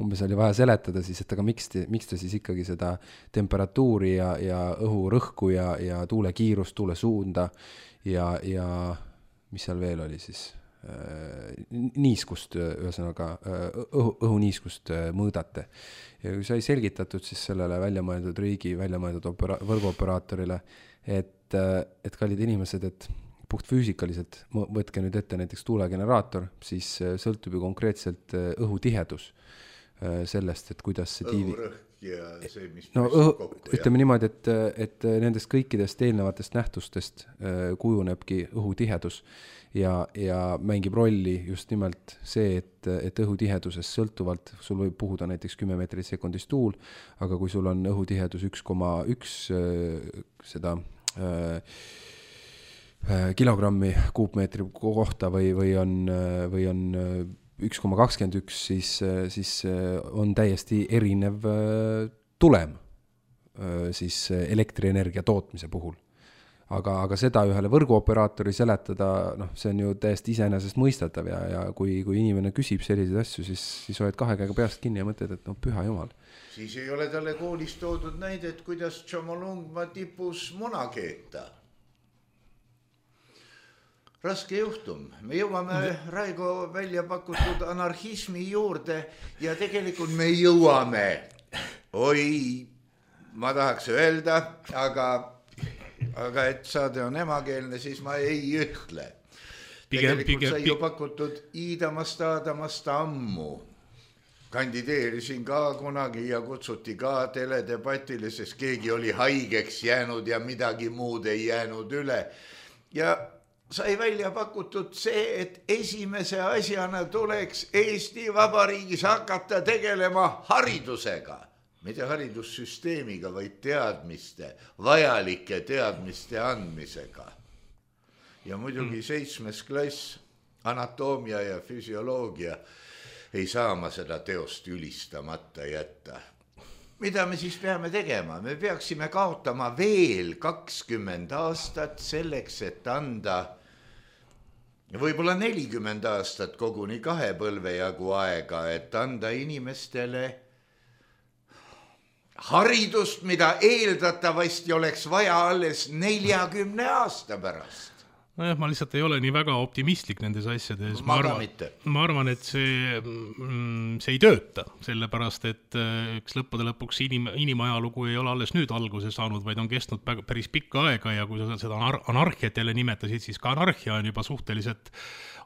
umbes oli vaja seletada siis, et aga miks, te, miks ta siis ikkagi seda temperatuuri ja, ja õhurõhku ja, ja tuule kiirust, tuule suunda ja, ja mis seal veel oli siis, äh, niiskust, ühesõnaga õhu, õhuniiskust mõõdate. Ja kui sai selgitatud siis sellele välja mõeldud riigi, välja mõeldud opera, võrguoperaatorile, et, et kallid inimesed, et puht füüsikaliselt, võtke nüüd ette näiteks tuulegeneraator, siis sõltub ju konkreetselt õhutihedus sellest, et kuidas see tiivi... Õhurõhk ja see, mis... No õhu, ütleme niimoodi, et, et nendest kõikidest eelnevatest nähtustest kujunebki õhutihedus ja, ja mängib rolli just nimelt see, et, et õhutihedusest sõltuvalt sul võib puhuda näiteks kümme meetrit sekundis tuul, aga kui sul on õhutihedus üks koma üks seda... kilogrammi kuupmeetri kohta või, või on, või on üks koma kakskümmend üks, siis, siis on täiesti erinev tulem siis elektrienergia tootmise puhul. Aga, aga seda ühele võrguoperaatori seletada, noh, see on ju täiesti iseenesest mõistatav ja, ja kui, kui inimene küsib selliseid asju, siis, siis oled kahe käega peast kinni ja mõtled, et no püha jumal. Siis ei ole talle koolis toodud näidet, kuidas Tšomolungma tipus muna keeta. Raske juhtum. Me jõuame Raigo välja pakutud anarhismi juurde ja tegelikult me jõuame. Oi, ma tahaks öelda, aga, aga et saade on emakeelne, siis ma ei ütle. Tegelikult pigem, sai ju pakutud Iidamast Aadamast ammu. Kandideerisin ka kunagi ja kutsuti ka teledebatile, sest keegi oli haigeks jäänud ja midagi muud ei jäänud üle. Ja sai välja pakutud see, et esimese asjana tuleks Eesti Vabariigis hakata tegelema haridusega. Mitte haridussüsteemiga, vaid teadmiste, vajalike teadmiste andmisega. Ja muidugi seitsmes klass, anatoomia ja füsioloogia, ei saa ma seda teost ülistamata jätta. Mida me siis peame tegema? Me peaksime kaotama veel kakskümmend aastat selleks, et anda võib-olla nelikümmend aastat koguni kahe põlve jagu aega, et anda inimestele haridust, mida eeldatavasti oleks vaja alles neljakümne aasta pärast. Nojah, ma lihtsalt ei ole nii väga optimistlik nendes asjades. Ma, ma, arvan, ma arvan, et see, see ei tööta, sellepärast, et üks lõppude lõpuks inim, inimajalugu ei ole alles nüüd alguse saanud, vaid on kestnud päris pikka aega ja kui sa seda anar- anarhiat jälle nimetasid, siis ka anarhia on juba suhteliselt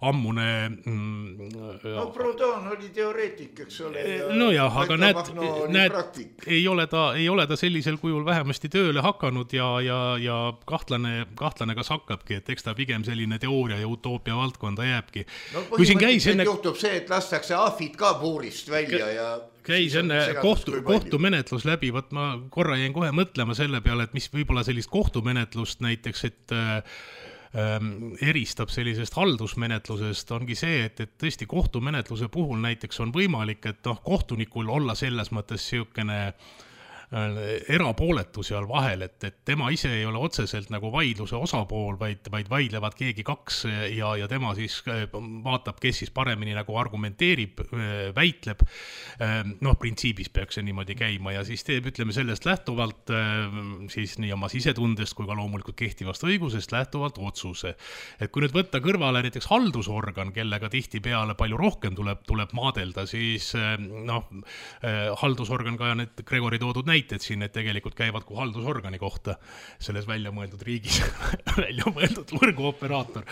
ammune... Mm, no Proudhon oli teoreetik, eks ole. No jah, aga näed, näed ei, ole ta, ei ole ta sellisel kujul vähemasti tööle hakanud ja, ja, ja kahtlane, kahtlane kas hakkabki, et eks ta pigem selline teooria ja utoopia valdkonda jääbki. No põhimõtteliselt enne... juhtub see, et lastakse ahvid ka puurist välja ja... käis enne kohtu, kohtumenetlus läbi, võt ma korra jäin kohe mõtlema selle peale, et mis võib-olla sellist kohtumenetlust näiteks, et eristab sellisest haldusmenetlusest, ongi see, et, et tõesti kohtumenetluse puhul näiteks on võimalik, et noh, kohtunikul olla selles mõttes siukene erapooletu seal vahel, et, et tema ise ei ole otseselt nagu vaidluse osapool, vaid, vaid vaidlevad keegi kaks ja, ja tema siis vaatab, kes siis paremini nagu argumenteerib, väitleb. Noh, printsiibis peaks see niimoodi käima ja siis teeb, ütleme, sellest lähtuvalt siis nii oma sisetundest kui ka loomulikult kehtivast õigusest lähtuvalt otsuse. Et kui nüüd võtta kõrvale näiteks haldusorgan, kellega tihti peale palju rohkem tuleb, tuleb maadelda, siis noh, haldusorgan ka need Gregori toodud näited siin, et tegelikult käivad kui haldusorgani kohta selles välja mõeldud riigis välja mõeldud võrguoperaator.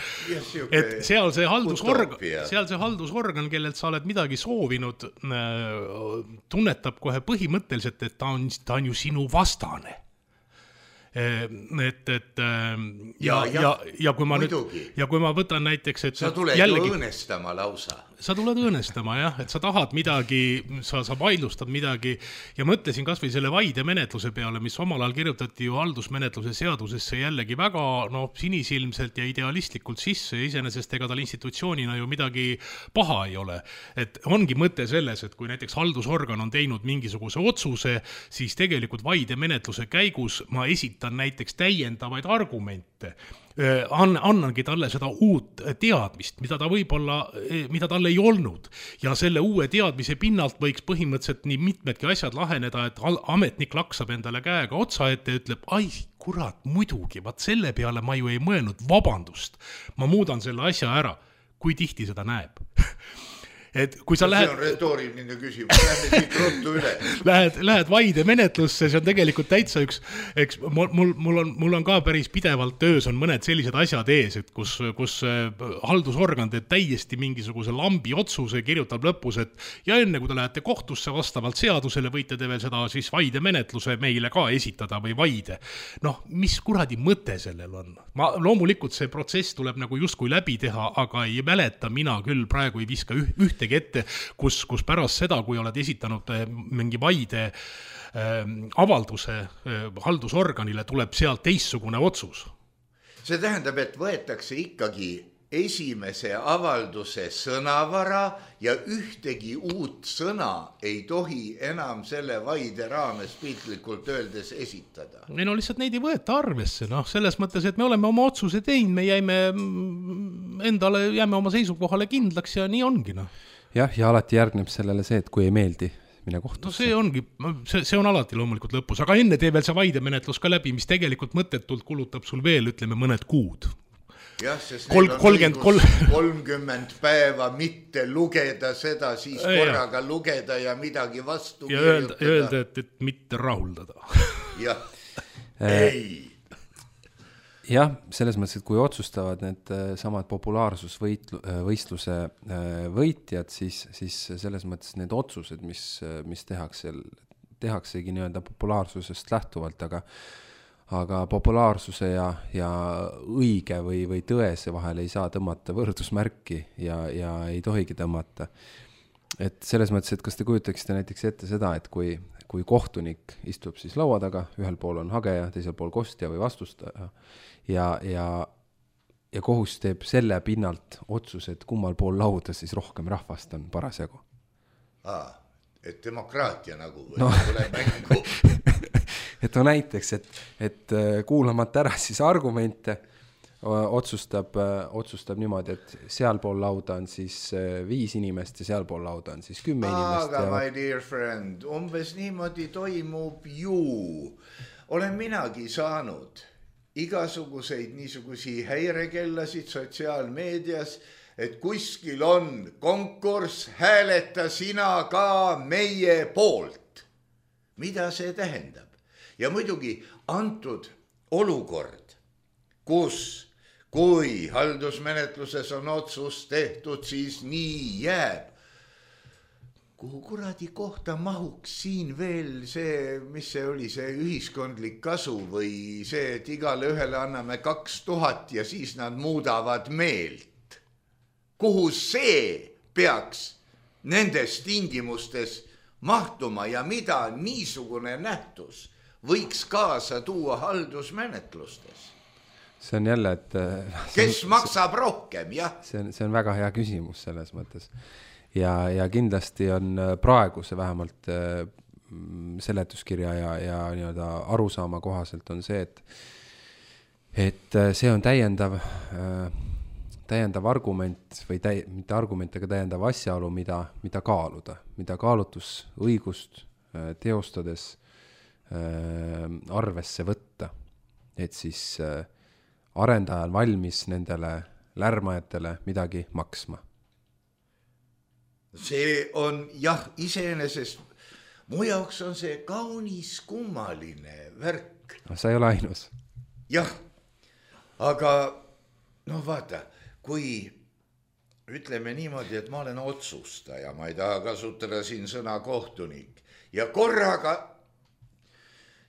Et seal see haldusorgan, seal see haldusorgan, kellelt sa oled midagi soovinud, tunnetab kohe põhimõtteliselt, et ta on, ta on ju sinu vastane. Et, et ja, ja, ja, ja, kui ma nüüd, ja kui ma võtan näiteks, et sa tuled jällegi, ju õõnestama lausa. Sa tuled õõnestama, jah, et sa tahad midagi, sa, sa vaidlustad midagi ja mõtlesin kas või selle vaide menetluse peale, mis omal ajal kirjutati ju haldusmenetluse seadusesse jällegi väga no, sinisilmselt ja idealistlikult sisse ja iseenesest ega tal institutsioonina ju midagi paha ei ole. Et ongi mõte selles, et kui näiteks haldusorgan on teinud mingisuguse otsuse, siis tegelikult vaide menetluse käigus ma esitan näiteks täiendavaid argumente. Annangi talle seda uut teadmist, mida ta võib-olla, mida tal ei olnud. Ja selle uue teadmise pinnalt võiks põhimõtteliselt nii mitmedki asjad laheneda, et ametnik laksab endale käega otsa ette ja ütleb, ai, kurat, muidugi, vaat selle peale ma ju ei mõelnud, vabandust, ma muudan selle asja ära, kui tihti seda näeb. Et kui sa lähed... See on retooriline küsimus, lähed siit ruttu üle. Lähed, lähed vaide menetlusse, see on tegelikult täitsa üks, eks mul, mul, on, mul on ka päris pidevalt töös on mõned sellised asjad ees, et kus, kus haldusorgan teeb täiesti mingisuguse lambi otsuse, kirjutab lõpus, et ja enne kui te lähete kohtusse vastavalt seadusele, võite te veel seda siis vaide menetluse meile ka esitada või vaide. Noh, mis kuradi mõte sellel on? Ma, loomulikult see protsess tuleb nagu justkui läbi teha, aga ei mäleta mina küll praegu ei viska ühte ette, kus, kus pärast seda, kui oled esitanud mingi vaide äh, avalduse äh, haldusorganile, tuleb sealt teissugune otsus. See tähendab, et võetakse ikkagi esimese avalduse sõnavara ja ühtegi uut sõna ei tohi enam selle vaide raames piltlikult öeldes esitada. Ei no lihtsalt neid ei võeta arvesse, noh, selles mõttes, et me oleme oma otsuse teinud, me jäime endale, jääme oma seisukohale kindlaks ja nii ongi, noh. Jah, ja alati järgneb sellele see, et kui ei meeldi, mine kohtusse. No see ongi, see, see on alati loomulikult lõpus, aga enne tee veel see vaidemenetlus ka läbi, mis tegelikult mõttetult kulutab sul veel, ütleme, mõned kuud. Jah, sest Kol, neil on kolmkümmend, õigus kolmkümmend päeva mitte lugeda seda, siis korraga ja. lugeda ja midagi vastu ja kirjutada. Ja öelda, et, et mitte rahuldada. Jah, ei. Jah, selles mõttes, et kui otsustavad need samad populaarsusvõistluse võitjad, siis, siis selles mõttes need otsused, mis, mis tehakse, tehaksegi nii-öelda populaarsusest lähtuvalt, aga, aga populaarsuse ja, ja õige või, või tõese vahel ei saa tõmmata võrdusmärki ja, ja ei tohigi tõmmata. Et selles mõttes, et kas te kujutaksite näiteks ette seda, et kui, kui kohtunik istub siis laua taga, ühel pool on hageja, teisel pool kostja või vastustaja, ja, ja, ja kohus teeb selle pinnalt otsuse, et kummal pool lauda siis rohkem rahvast on parasjagu. Aa, et demokraatia nagu või no. tuleb mängu. et no näiteks, et, et kuulamata ära siis argumente, otsustab, otsustab niimoodi, et seal pool lauda on siis viis inimest ja seal pool lauda on siis kümme inimest. Aga ja... my dear friend, umbes niimoodi toimub ju. Olen minagi saanud igasuguseid niisugusi häirekellasid sotsiaalmeedias, et kuskil on konkurss, hääleta sina ka meie poolt. Mida see tähendab? Ja muidugi antud olukord, kus kui haldusmenetluses on otsus tehtud, siis nii jääb. Kuhu kuradi kohta mahuks siin veel see, mis see oli, see ühiskondlik kasu või see, et igale ühele anname kaks tuhat ja siis nad muudavad meelt. Kuhu see peaks nendes tingimustes mahtuma ja mida niisugune nähtus võiks kaasa tuua haldusmenetlustes? See on jälle, et... Kes on, maksab see, rohkem, jah? See on, see on väga hea küsimus selles mõttes. Ja, ja kindlasti on praegu see vähemalt seletuskirja ja, ja nii-öelda arusaama kohaselt on see, et et see on täiendav, täiendav argument või täi, mitte argument, aga täiendav asjaolu, mida, mida kaaluda, mida kaalutusõigust teostades arvesse võtta, et siis arendaja on valmis nendele lärmajatele midagi maksma. See on jah, iseenesest mu jaoks on see kaunis kummaline värk. No, sa ei ole ainus. Jah, aga noh vaata, kui ütleme niimoodi, et ma olen otsustaja, ma ei taha kasutada siin sõna kohtunik ja korraga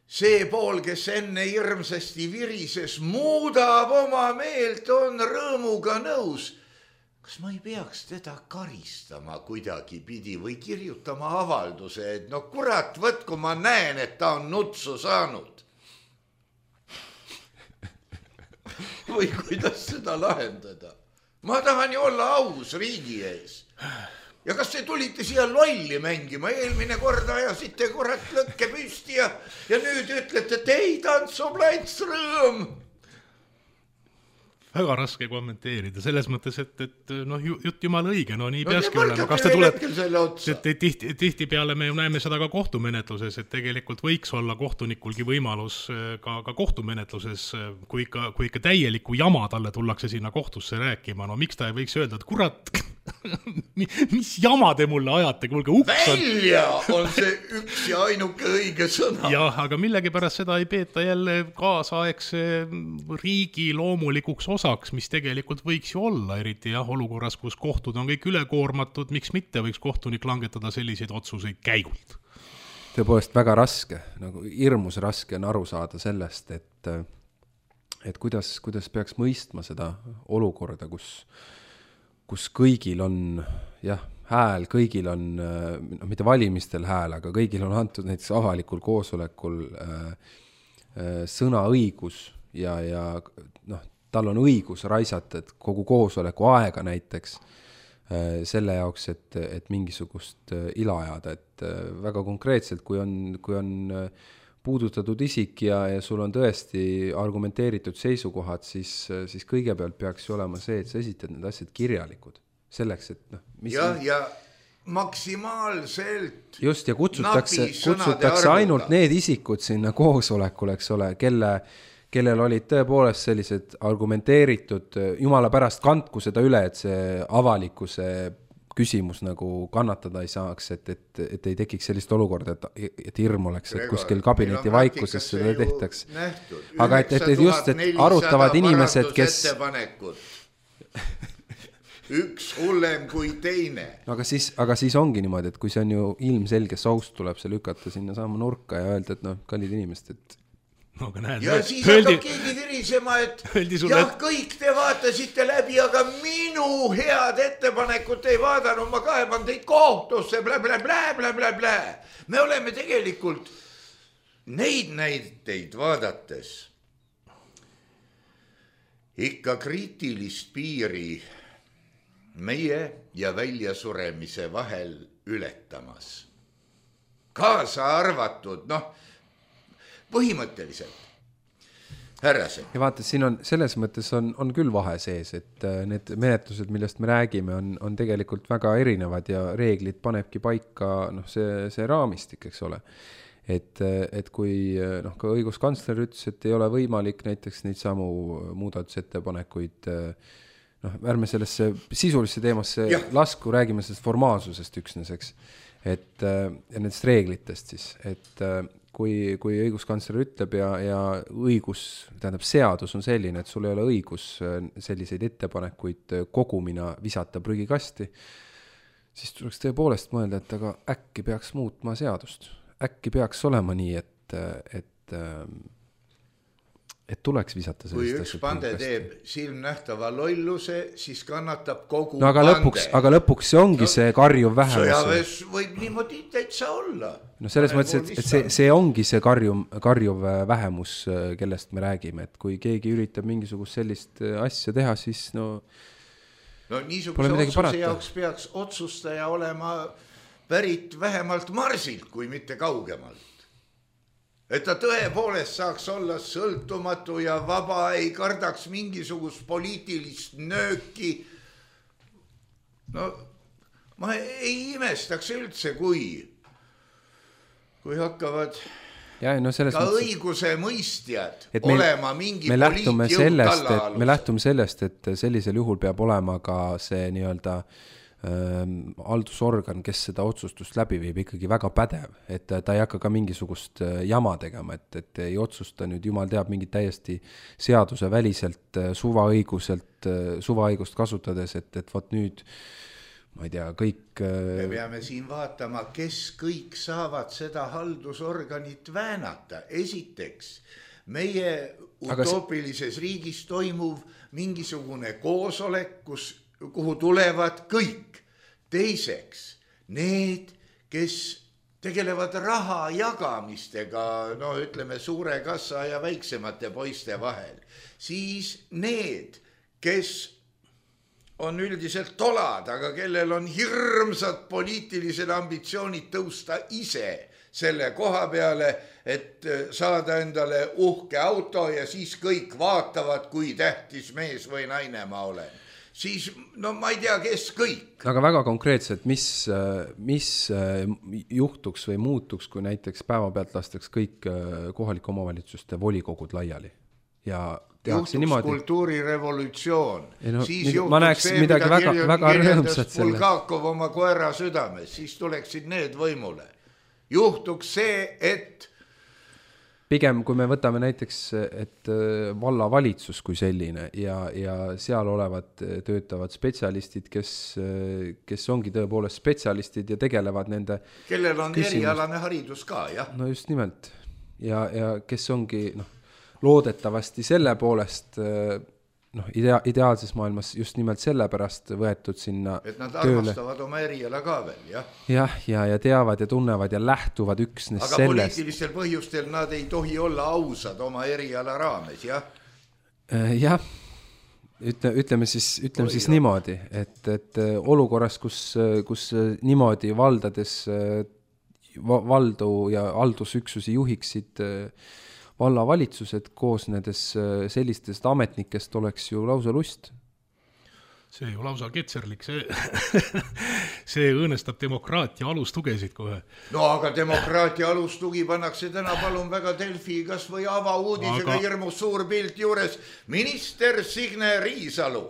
see pool, kes enne hirmsasti virises, muudab oma meelt, on rõõmuga nõus. Kas ma ei peaks teda karistama kuidagi pidi või kirjutama avalduse, et no kurat, võt, kui ma näen, et ta on nutsu saanud. Või kuidas seda lahendada? Ma tahan ju olla aus riigi ees. Ja kas te tulite siia lolli mängima? Eelmine kord ajasite kurat lõkke püsti ja, ja nüüd ütlete, et ei, tantsu plants rõõm. Väga raske kommenteerida, selles mõttes, et, et noh, jutt jumala õige, no nii no, peaski olema. Kas te tuleb, tihti, tihti peale me näeme seda ka kohtumenetluses, et tegelikult võiks olla kohtunikulgi võimalus ka, ka kohtumenetluses, kui ikka, kui ikka täieliku jama talle tullakse sinna kohtusse rääkima, no miks ta ei võiks öelda, et kurat, mis jama te mulle ajate, kuulge uks on. Välja on see üks ja ainuke õige sõna. Jah, aga millegipärast seda ei peeta jälle kaasaegse riigi loomulikuks osaks, mis tegelikult võiks ju olla, eriti jah, olukorras, kus kohtud on kõik ülekoormatud, miks mitte võiks kohtunik langetada selliseid otsuseid käigult. Tõepoolest väga raske, nagu hirmus raske on aru saada sellest, et, et kuidas, kuidas peaks mõistma seda olukorda, kus kus kõigil on jah, hääl, kõigil on, no mitte valimistel hääl, aga kõigil on antud näiteks avalikul koosolekul äh, sõnaõigus ja, ja noh, tal on õigus raisata et kogu koosoleku aega näiteks äh, selle jaoks, et, et mingisugust äh, ila ajada, et äh, väga konkreetselt, kui on, kui on äh, puudutatud isik ja, ja sul on tõesti argumenteeritud seisukohad, siis, siis kõigepealt peaks ju olema see, et sa esitad need asjad kirjalikud. Selleks, et noh... Mis ja, ja maksimaalselt... Just, ja kutsutakse, kutsutakse ainult need isikud sinna koosolekul, eks ole, kelle, kellel olid tõepoolest sellised argumenteeritud, jumala pärast kandku seda üle, et see avalikkuse küsimus nagu kannatada ei saaks, et, et, et ei tekiks sellist olukorda, et, et hirm oleks, et kuskil kabineti vaikuses seda tehtaks. Aga et, et just, et arutavad inimesed, kes... Üks hullem kui teine. No, aga, siis, aga siis ongi niimoodi, et kui see on ju ilmselge saust, tuleb see lükata sinna saama nurka ja öelda, et noh, kallid inimesed, et No, näed, ja siis hakkab keegi virisema, et jah, et... kõik te vaatasite läbi, aga minu head ettepanekut ei vaadanud, ma kaeban teid kohtusse, blä, blä, blä, blä, blä, blä. Me oleme tegelikult neid näiteid vaadates ikka kriitilist piiri meie ja väljasuremise vahel ületamas. Kaasa arvatud, noh, põhimõtteliselt. Härrased. Ja vaata, siin on, selles mõttes on, on küll vahe sees, et need menetlused, millest me räägime, on, on tegelikult väga erinevad ja reeglid panebki paika noh, see, see raamistik, eks ole. Et, et kui noh, ka õiguskantsler ütles, et ei ole võimalik näiteks neid samu muudatusettepanekuid, noh, ärme sellesse sisulisse teemasse ja. lasku, räägime sellest formaalsusest üksneseks, et ja nendest reeglitest siis, et kui, kui õiguskantsler ütleb ja, ja õigus, tähendab seadus on selline, et sul ei ole õigus selliseid ettepanekuid kogumina visata prügikasti, siis tuleks tõepoolest mõelda, et aga äkki peaks muutma seadust. Äkki peaks olema nii, et, et, et tuleks visata kui üks pande teeb silmnähtava lolluse, siis kannatab kogu no, aga pande. Lõpuks, aga lõpuks see ongi no, see karjuv vähemus. Sõjaväes võib niimoodi täitsa olla. No selles mõttes, et, et see, see ongi see karjuv, karjuv vähemus, kellest me räägime, et kui keegi üritab mingisugust sellist asja teha, siis no... No niisuguse otsuse jaoks peaks otsustaja olema pärit vähemalt Marsilt, kui mitte kaugemalt. Et ta tõepoolest saaks olla sõltumatu ja vaba, ei kardaks mingisugust poliitilist nööki. No ma ei imestaks üldse, kui, kui hakkavad ja, no ka mõttes, õiguse mõistjad meil, olema mingi me lähtume sellest, talla et me lähtume sellest, et sellisel juhul peab olema ka see nii-öelda haldusorgan, kes seda otsustust läbi viib, ikkagi väga pädev, et ta ei hakka ka mingisugust jama tegema, et, et ei otsusta nüüd jumal teab mingit täiesti seaduse väliselt, suvaõiguselt, suvaõigust kasutades, et, et võt nüüd, ma ei tea, kõik... Me peame siin vaatama, kes kõik saavad seda haldusorganit väänata. Esiteks, meie utoopilises riigis toimuv mingisugune koosolek, kus kuhu tulevad kõik. Teiseks, need, kes tegelevad raha jagamistega, no ütleme suure kassa ja väiksemate poiste vahel, siis need, kes on üldiselt tolad, aga kellel on hirmsad poliitilised ambitsioonid tõusta ise selle koha peale, et saada endale uhke auto ja siis kõik vaatavad, kui tähtis mees või naine ma olen. Siis, no ma ei tea, kes kõik. Aga väga konkreetselt, mis, mis juhtuks või muutuks, kui näiteks päevapealt lastaks kõik kohalike omavalitsuste volikogud laiali ja tehakse niimoodi. Juhtuks kultuurirevolutsioon. No, siis mida, juhtuks näeks, see, mida väga, kirjel, väga kirjeldas Bulgakov oma koera südames, siis tuleksid need võimule. Juhtuks see, et pigem, kui me võtame näiteks, et vallavalitsus kui selline ja, ja seal olevad töötavad spetsialistid, kes, kes ongi tõepoolest spetsialistid ja tegelevad nende kellel on küsimus. Erialane haridus ka, jah. No just nimelt. Ja, ja kes ongi noh, loodetavasti selle poolest noh, idea, ideaalses maailmas just nimelt sellepärast võetud sinna et nad tööle. Armastavad oma eriala ka veel, jah. Jah, ja, ja teavad ja tunnevad ja lähtuvad üksnes aga sellest. Aga poliitilistel põhjustel nad ei tohi olla ausad oma eriala raames, jah? Jah, ütle, ütleme siis, ütleme Oi, siis niimoodi, et, et olukorras, kus, kus niimoodi valdades valdu ja haldusüksusi juhiksid vallavalitsused koosnedes sellistest ametnikest oleks ju lausa lust. See ju lausa ketserlik, see, see õõnestab demokraatia alustugesid kohe. No aga demokraatia alustugi pannakse täna palun väga Delfi kas või avauudisega aga... hirmus suur pilt juures. Minister Signe Riisalu.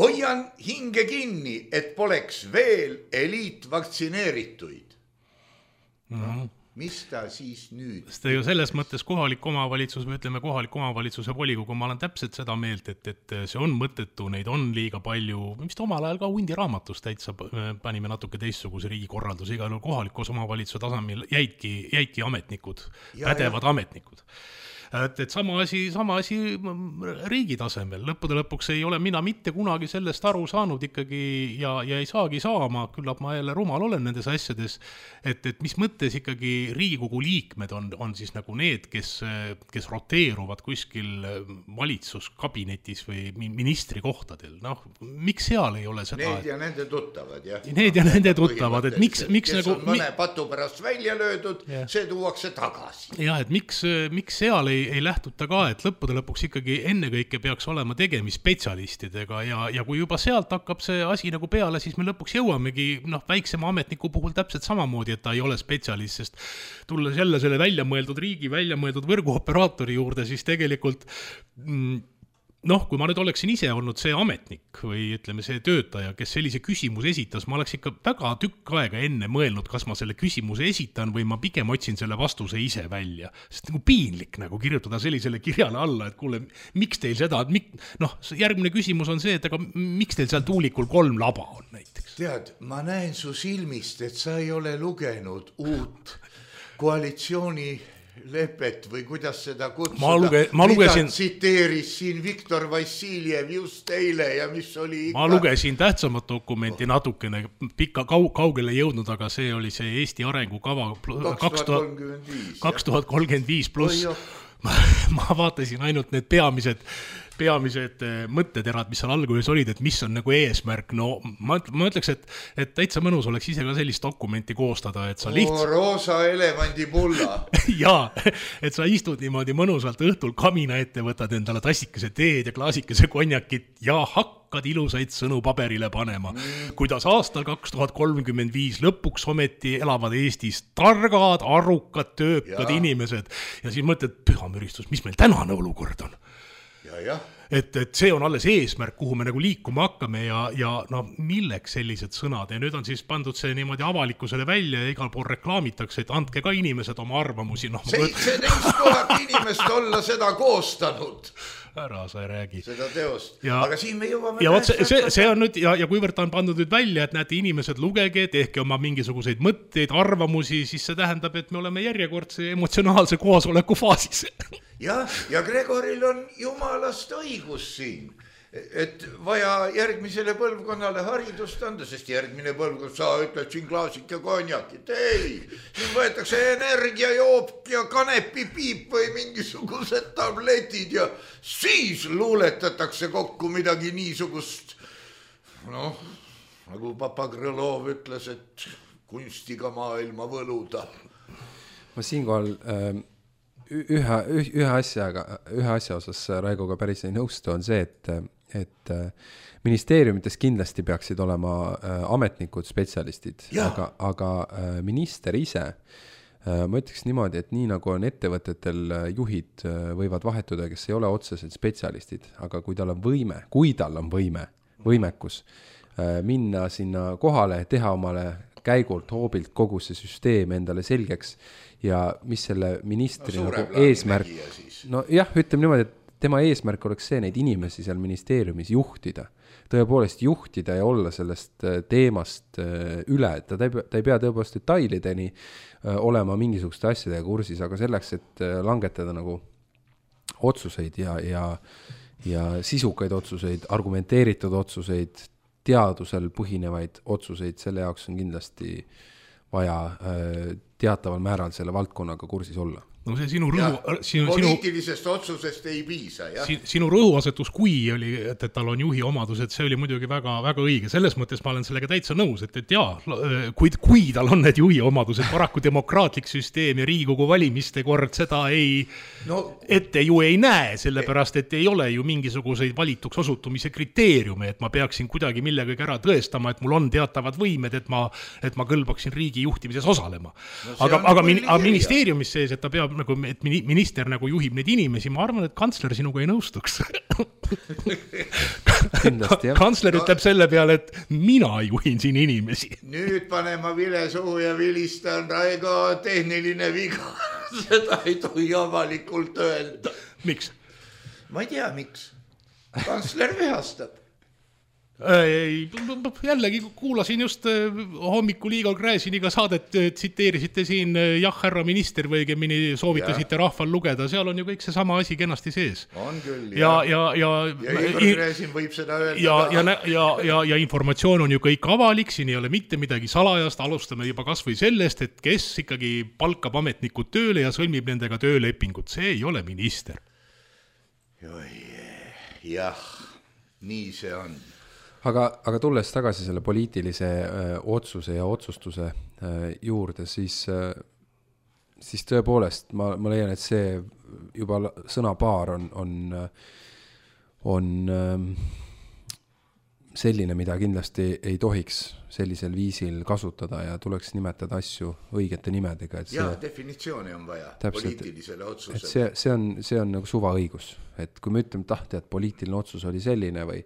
Hoian hinge kinni, et poleks veel eliitvaktsineerituid. No. Mis ta siis nüüd? Sest ju selles mõttes kohalik omavalitsus, või ütleme kohalik omavalitsuse volikogu, ma olen täpselt seda meelt, et, et see on mõttetu, neid on liiga palju, mis omal ajal ka hundi raamatus täitsa panime natuke teistsuguse riigikorraldus, igal kohalikus omavalitsuse tasemel jäidki, jäidki ametnikud, ja, pädevad ja. ametnikud. Et, et sama asi, sama asi riigi tasemel. Lõppude lõpuks ei ole mina mitte kunagi sellest aru saanud ikkagi ja, ja ei saagi saama, küllap ma jälle rumal olen nendes asjades, et, et mis mõttes ikkagi Riigikogu liikmed on, on siis nagu need, kes, kes roteeruvad kuskil valitsuskabinetis või ministri kohtadel. Noh, miks seal ei ole seda? Need ja nende tuttavad, jah. Need ja nende tuttavad, et miks, miks kes nagu... on mõne patu pärast välja löödud, ja. See tuuakse tagasi. Ja, et miks, miks seal ei Ei, ei lähtuta ka, et lõppude lõpuks ikkagi ennekõike peaks olema tegemist spetsialistidega ja, ja kui juba sealt hakkab see asi nagu peale, siis me lõpuks jõuamegi noh, väiksema ametniku puhul täpselt samamoodi, et ta ei ole spetsialist, sest tulles jälle selle väljamõeldud riigi, väljamõeldud võrguoperaatori juurde, siis tegelikult mm, noh, kui ma nüüd oleksin ise olnud see ametnik või ütleme see töötaja, kes sellise küsimuse esitas, ma oleks ikka väga tükk aega enne mõelnud, kas ma selle küsimuse esitan või ma pigem otsin selle vastuse ise välja. Sest nagu piinlik nagu kirjutada sellisele kirjale alla, et kuule, miks teil seda, et mik... noh, järgmine küsimus on see, et aga miks teil seal tuulikul kolm laba on näiteks? Tead, ma näen su silmist, et sa ei ole lugenud uut koalitsiooni lepet või kuidas seda kutsuda, ma luge, ma lugesin, mida tsiteeris siin Viktor Vassiljev just eile ja mis oli ikka... Ma lugesin tähtsamat dokumenti natukene pikka kau- kaugele jõudnud, aga see oli see Eesti arengukava kaks tuhat kolmkümmend viis pluss. Ma, ma vaatasin ainult need peamised peamised mõtteterad, mis seal alguses olid, et mis on nagu eesmärk, no ma, ma ütleks, et, et täitsa mõnus oleks ise ka sellist dokumenti koostada, et sa lihtsalt... Oo, roosa elevandipulla. Jaa, et sa istud niimoodi mõnusalt õhtul kamina ette, võtad endale tassikese teed ja klaasikese konjakit ja hakkad ilusaid sõnu paberile panema. Mm. Kuidas aastal kaks tuhat kolmkümmend viis lõpuks ometi elavad Eestis targad, arukad, töökad ja. Inimesed. Ja siis mõtled, pühamüristus, mis meil tänane olukord on? Ja, jah. Et, et see on alles eesmärk, kuhu me nagu liikuma hakkame ja, ja no, milleks sellised sõnad ja nüüd on siis pandud see niimoodi avalikkusele välja ja igal pool reklaamitakse, et andke ka inimesed oma arvamusi. No, seitseteist tuhat inimest olla seda koostanud. Ära sa ei räägi. Seda teost. Ja, aga siin me jõuame... Ja see, see, see on nüüd, ja, ja kuivõrd ta on pandud nüüd välja, et näete inimesed lugege, tehke oma mingisuguseid mõtteid, arvamusi, siis see tähendab, et me oleme järjekordse emotsionaalse koosoleku faasis. Ja, ja Gregoril on jumalast õigus siin, et vaja järgmisele põlvkonnale haridust anda, sest järgmine põlvkond, sa ütled siin klaasik ja konjakit, ei, siin võetakse energiajoop ja kanepipiip või mingisugused tabletid ja siis luuletatakse kokku midagi niisugust, noh, nagu Papa Krõlov ütles, et kunstiga maailma võluda. Ma siinkohal... Ähm... Ühe, ühe, asjaga, ühe asja osas Raigoga päris ei nõustu on see, et, et ministeeriumites kindlasti peaksid olema ametnikud, spetsialistid, aga, aga minister ise, ma ütleks niimoodi, et nii nagu on ettevõtetel juhid võivad vahetuda, kes ei ole otseselt spetsialistid, aga kui tal on võime, kui tal on võime, võimekus minna sinna kohale, teha omale käigult, hoobilt kogu see süsteem endale selgeks ja mis selle ministri no, nagu eesmärk, no jah, ütleme niimoodi, et tema eesmärk oleks see neid inimesi seal ministeeriumis juhtida, tõepoolest juhtida ja olla sellest teemast üle, et ta, ta ei pea tõepoolest detailideni olema mingisuguste asjadega kursis, aga selleks, et langetada nagu otsuseid ja, ja, ja sisukaid otsuseid, argumenteeritud otsuseid, teadusel põhinevaid otsuseid, selle jaoks on kindlasti vaja teataval määral selle valdkonnaga kursis olla. No see sinu rõhu... Sinu, poliitilisest sinu, otsusest ei piisa, jah. Sinu rõhuasetus, kui oli, et, et tal on juhi omadused, see oli muidugi väga, väga õige. Selles mõttes ma olen sellega täitsa nõus, et, et jaa, kui, kui tal on need juhi omadused, paraku demokraatlik süsteem ja Riigikogu valimiste kord seda ei, no, ette ju ei näe, sellepärast, et ei ole ju mingisuguseid valituks osutumise kriteeriume, et ma peaksin kuidagi millegagi ära tõestama, et mul on teatavad võimed, et ma, et ma kõlbaksin riigi juhtimises osalema. No, aga, aga, min, aga ministeeriumis sees, et ta peab nagu, et minister nagu juhib neid inimesi, ma arvan, et kantsler sinuga ei nõustuks. Kindlasti, jah. Kantsler ütleb selle peale, et mina juhin siin inimesi. Nüüd pane ma vile suhu ja vilistan, Raigo, tehniline viga. Seda ei tohi avalikult öelda. Miks? Ma ei tea, miks. Kantsler vihastab. Ei, jällegi kuulasin just hommikul Igor Gräziniga saadet, tsiteerisite siin jah, härra minister või õigemini soovitasite ja. Rahval lugeda, seal on ju kõik see sama asi kenasti sees. On küll, ja. Ja, ja, ja, ja Igor Gräzin võib seda öelda. Ja, ja, ja, ja, ja informatsioon on ju kõik avalik, siin ei ole mitte midagi salajast, alustame juba kas või sellest, et kes ikkagi palkab ametnikud tööle ja sõlmib nendega töölepingut, see ei ole minister. Jah, nii see on. Aga, aga tulles tagasi selle poliitilise öö, otsuse ja otsustuse öö, juurde, siis, öö, siis tõepoolest ma, ma leian, et see juba sõnapaar on, on, on öö, selline, mida kindlasti ei tohiks sellisel viisil kasutada ja tuleks nimetada asju õigete nimedega. Et see, ja, definitsiooni on vaja täpselt, poliitilisele otsusele. Et see, see, on, see on nagu suvaõigus. Et kui me ütleme tahti, et poliitiline otsus oli selline või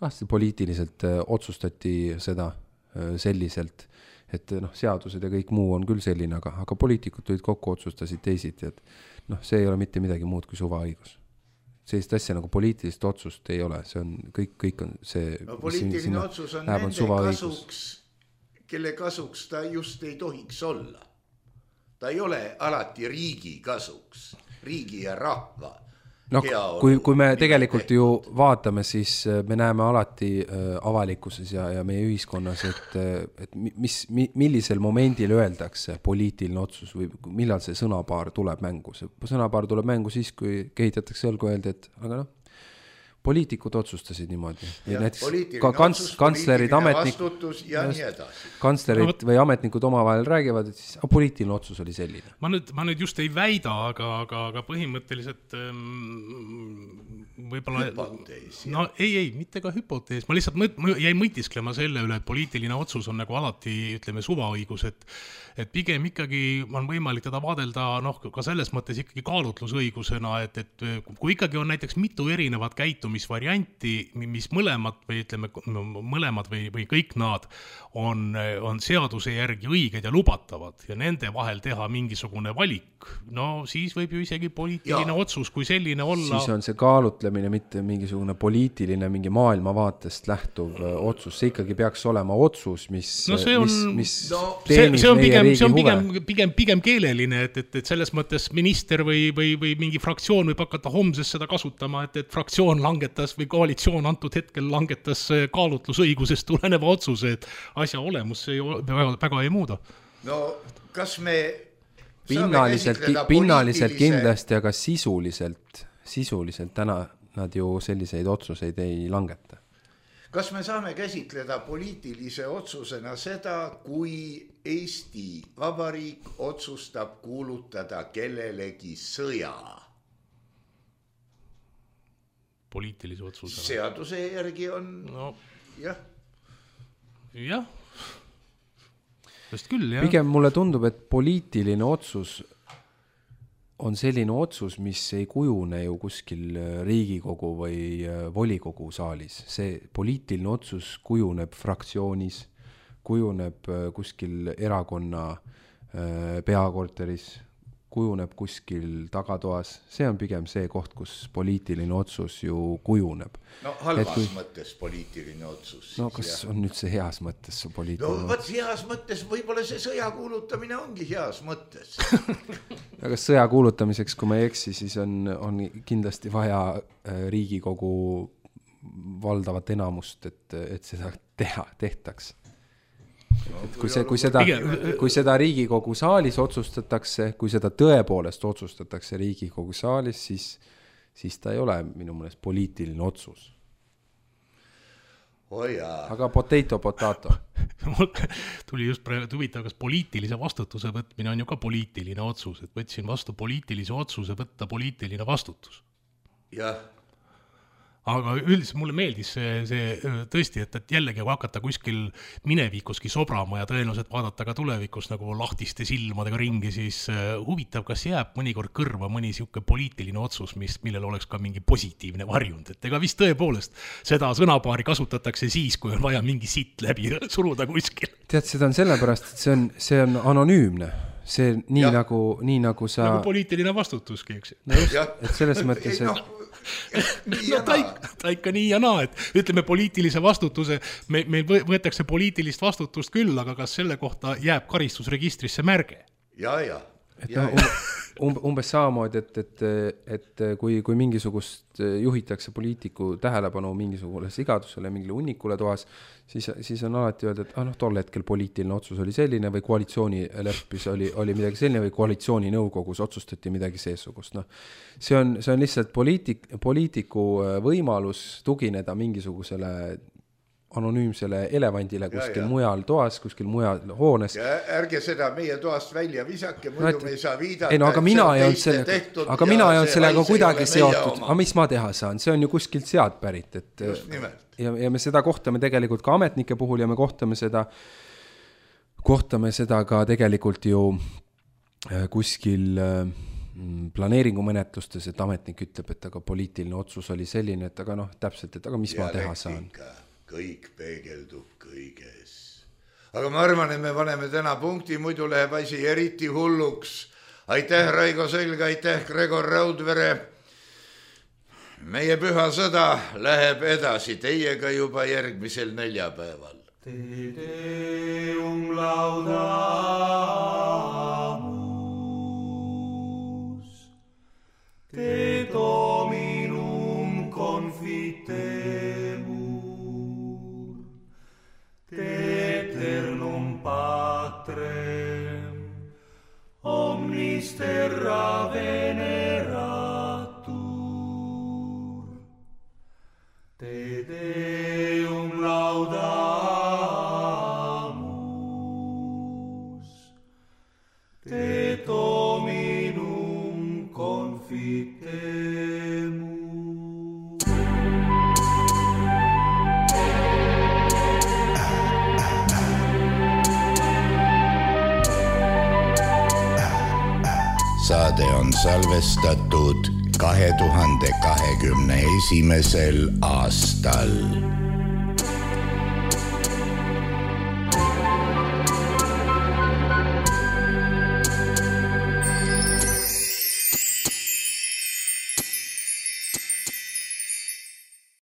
ah, poliitiliselt äh, otsustati seda äh, selliselt, et noh, seadused ja kõik muu on küll selline, aga, aga poliitikud tulid kokku, otsustasid teisiti, et noh, see ei ole mitte midagi muud kui suvaõigus. Sellist asja nagu poliitilist otsust ei ole, see on kõik, kõik on see... No, poliitiline otsus on nende kasuks, kelle kasuks ta just ei tohiks olla. Ta ei ole alati riigi kasuks, riigi ja rahva. No, kui, kui me tegelikult ju vaatame, siis me näeme alati äh, avalikkuses ja, ja meie ühiskonnas, et, et mis, mi, millisel momendil öeldakse poliitiline otsus või millal see sõnapaar tuleb mängu. See sõnapaar tuleb mängu siis, kui kehitatakse õlgu öelda, et aga noh, poliitikud otsustasid niimoodi. Ja, näiteks ka kants, kantslerid, ametnik, ja nii edasi. Kantslerid no, või ametnikud omavahel räägivad, et siis a, poliitiline otsus oli selline. Ma nüüd, ma nüüd just ei väida, aga, aga, aga põhimõtteliselt ähm, võib-olla... Hüpotees. No ei, ei, mitte ka hüpotees. Ma lihtsalt mõt, ma jäin mõtisklema selle üle, et poliitiline otsus on nagu alati, ütleme, suvaõigus, et, et pigem ikkagi on võimalik teda vaadelda noh, ka selles mõttes ikkagi kaalutlusõigusena, et, et kui ikkagi on näiteks mitu erinevat käitu, mis varianti, mis mõlemad või ütleme mõlemad või, või kõik nad on, on seaduse järgi õiged ja lubatavad ja nende vahel teha mingisugune valik, no siis võib ju isegi poliitiline ja. otsus kui selline olla. Siis on see kaalutlemine mitte mingisugune poliitiline, mingi maailmavaatest lähtuv otsus, see ikkagi peaks olema otsus, mis, no see on, mis, mis no, teenib see, see meie pigem, riigi see on huve. Pigem, pigem, pigem keeleline, et, et, et selles mõttes minister või, või, või mingi fraktsioon võib hakata homses seda kasutama, et, et fraktsioon langetas või koalitsioon antud hetkel langetas kaalutlusõigusest tuleneva otsuse, et asja olemus see väga, väga ei muuda. No kas me pinnaliselt, pinnaliselt kindlasti, aga sisuliselt, sisuliselt täna nad ju selliseid otsuseid ei langeta. Kas me saame käsitleda poliitilise otsusena seda, kui Eesti Vabariik otsustab kuulutada kellelegi sõja? Poliitilise otsusena. Seaduse järgi on no, jah. Jah. Just küll, jah. Pigem mulle tundub, et poliitiline otsus on selline otsus, mis ei kujune ju kuskil Riigikogu või volikogu saalis. See poliitiline otsus kujuneb fraktsioonis, kujuneb kuskil erakonna peakorteris, kujuneb kuskil tagatoas. See on pigem see koht, kus poliitiline otsus ju kujuneb. No halvas kui... mõttes poliitiline otsus. No kas jah. On nüüd see heas mõttes see poliitiline no, võt, heas mõttes, võib-olla see sõja kuulutamine ongi heas mõttes. Aga sõja kuulutamiseks, kui ma ei eksi, siis on, on kindlasti vaja Riigikogu valdavat enamust, et, et seda teha, tehtaks. Et kui, see, kui, seda, kui seda Riigikogu saalis otsustatakse, kui seda tõepoolest otsustatakse Riigikogu saalis, siis, siis ta ei ole minu mõelest poliitiline otsus. Oh jaa. Aga potato, potato. Tuli just praegu huvitav, kas poliitilise vastutuse võtmine on ju ka poliitiline otsus, et võtsin vastu poliitilise otsuse võtta poliitiline vastutus. Jah. Aga üldiselt mulle meeldis see, see tõesti, et, et jällegi kui hakata kuskil minevikuski sobrama ja tõenäoliselt vaadata ka tulevikus nagu lahtiste silmadega ringi, siis huvitav, kas jääb mõnikord kõrva mõni siuke poliitiline otsus, mis, millel oleks ka mingi positiivne varjund. Et ega vist tõepoolest seda sõnapaari kasutatakse siis, kui on vaja mingi sitt läbi suruda kuskil. Tead, seda on sellepärast, et see on, see on anonüümne. See nii ja. nagu, nii nagu sa... Nagu poliitiline vastutuski, eks. No just, et selles mõttes... No, no ta, ta ikka nii ja naa, et ütleme poliitilise vastutuse, me, me võetakse poliitilist vastutust küll, aga kas selle kohta jääb karistusregistrisse märge? Ja, ja. Et ja, ja. Um, umbes samamoodi, et, et, et kui, kui mingisugust juhitakse poliitiku tähelepanu mingisugule sigadusele, mingile unnikule toas, siis, siis on alati öelda, et ah, no, tol hetkel poliitiline otsus oli selline või koalitsiooni leppis oli, oli midagi selline või koalitsiooni nõukogus otsustati midagi seesugust. No, see, on, see on lihtsalt poliitik, poliitiku võimalus tugineda mingisugusele anonüümsele elevandile kuskil ja, ja. mujal toas, kuskil mujal hoones. Ja ärge seda meie toast välja visake, muidu no, me ei saa viidata. Ei no, aga mina ei olnud selle, aga mina ei olnud sellega kuidagi seotud. Aga mis ma teha saan? See on ju kuskilt sealt pärit. Et, ja, ja me seda kohtame tegelikult ka ametnike puhul ja me kohtame seda, kohtame seda ka tegelikult ju kuskil planeeringumenetlustes, et ametnik ütleb, et aga poliitiline otsus oli selline, et aga noh, täpselt, et aga mis ja ma teha saan? Kõik peegeldub kõiges. Aga ma arvan, et me paneme täna punkti, muidu läheb asi eriti hulluks. Aitäh, Raigo Selg, aitäh, Gregor Raudvere. Meie püha sõda läheb edasi teiega juba järgmisel neljapäeval. Te deum laudamus, te dominum confitemus, Eternum Patrem, omnis terra veneratur, saade on salvestatud kahe tuhande kahekümne esimesel aastal.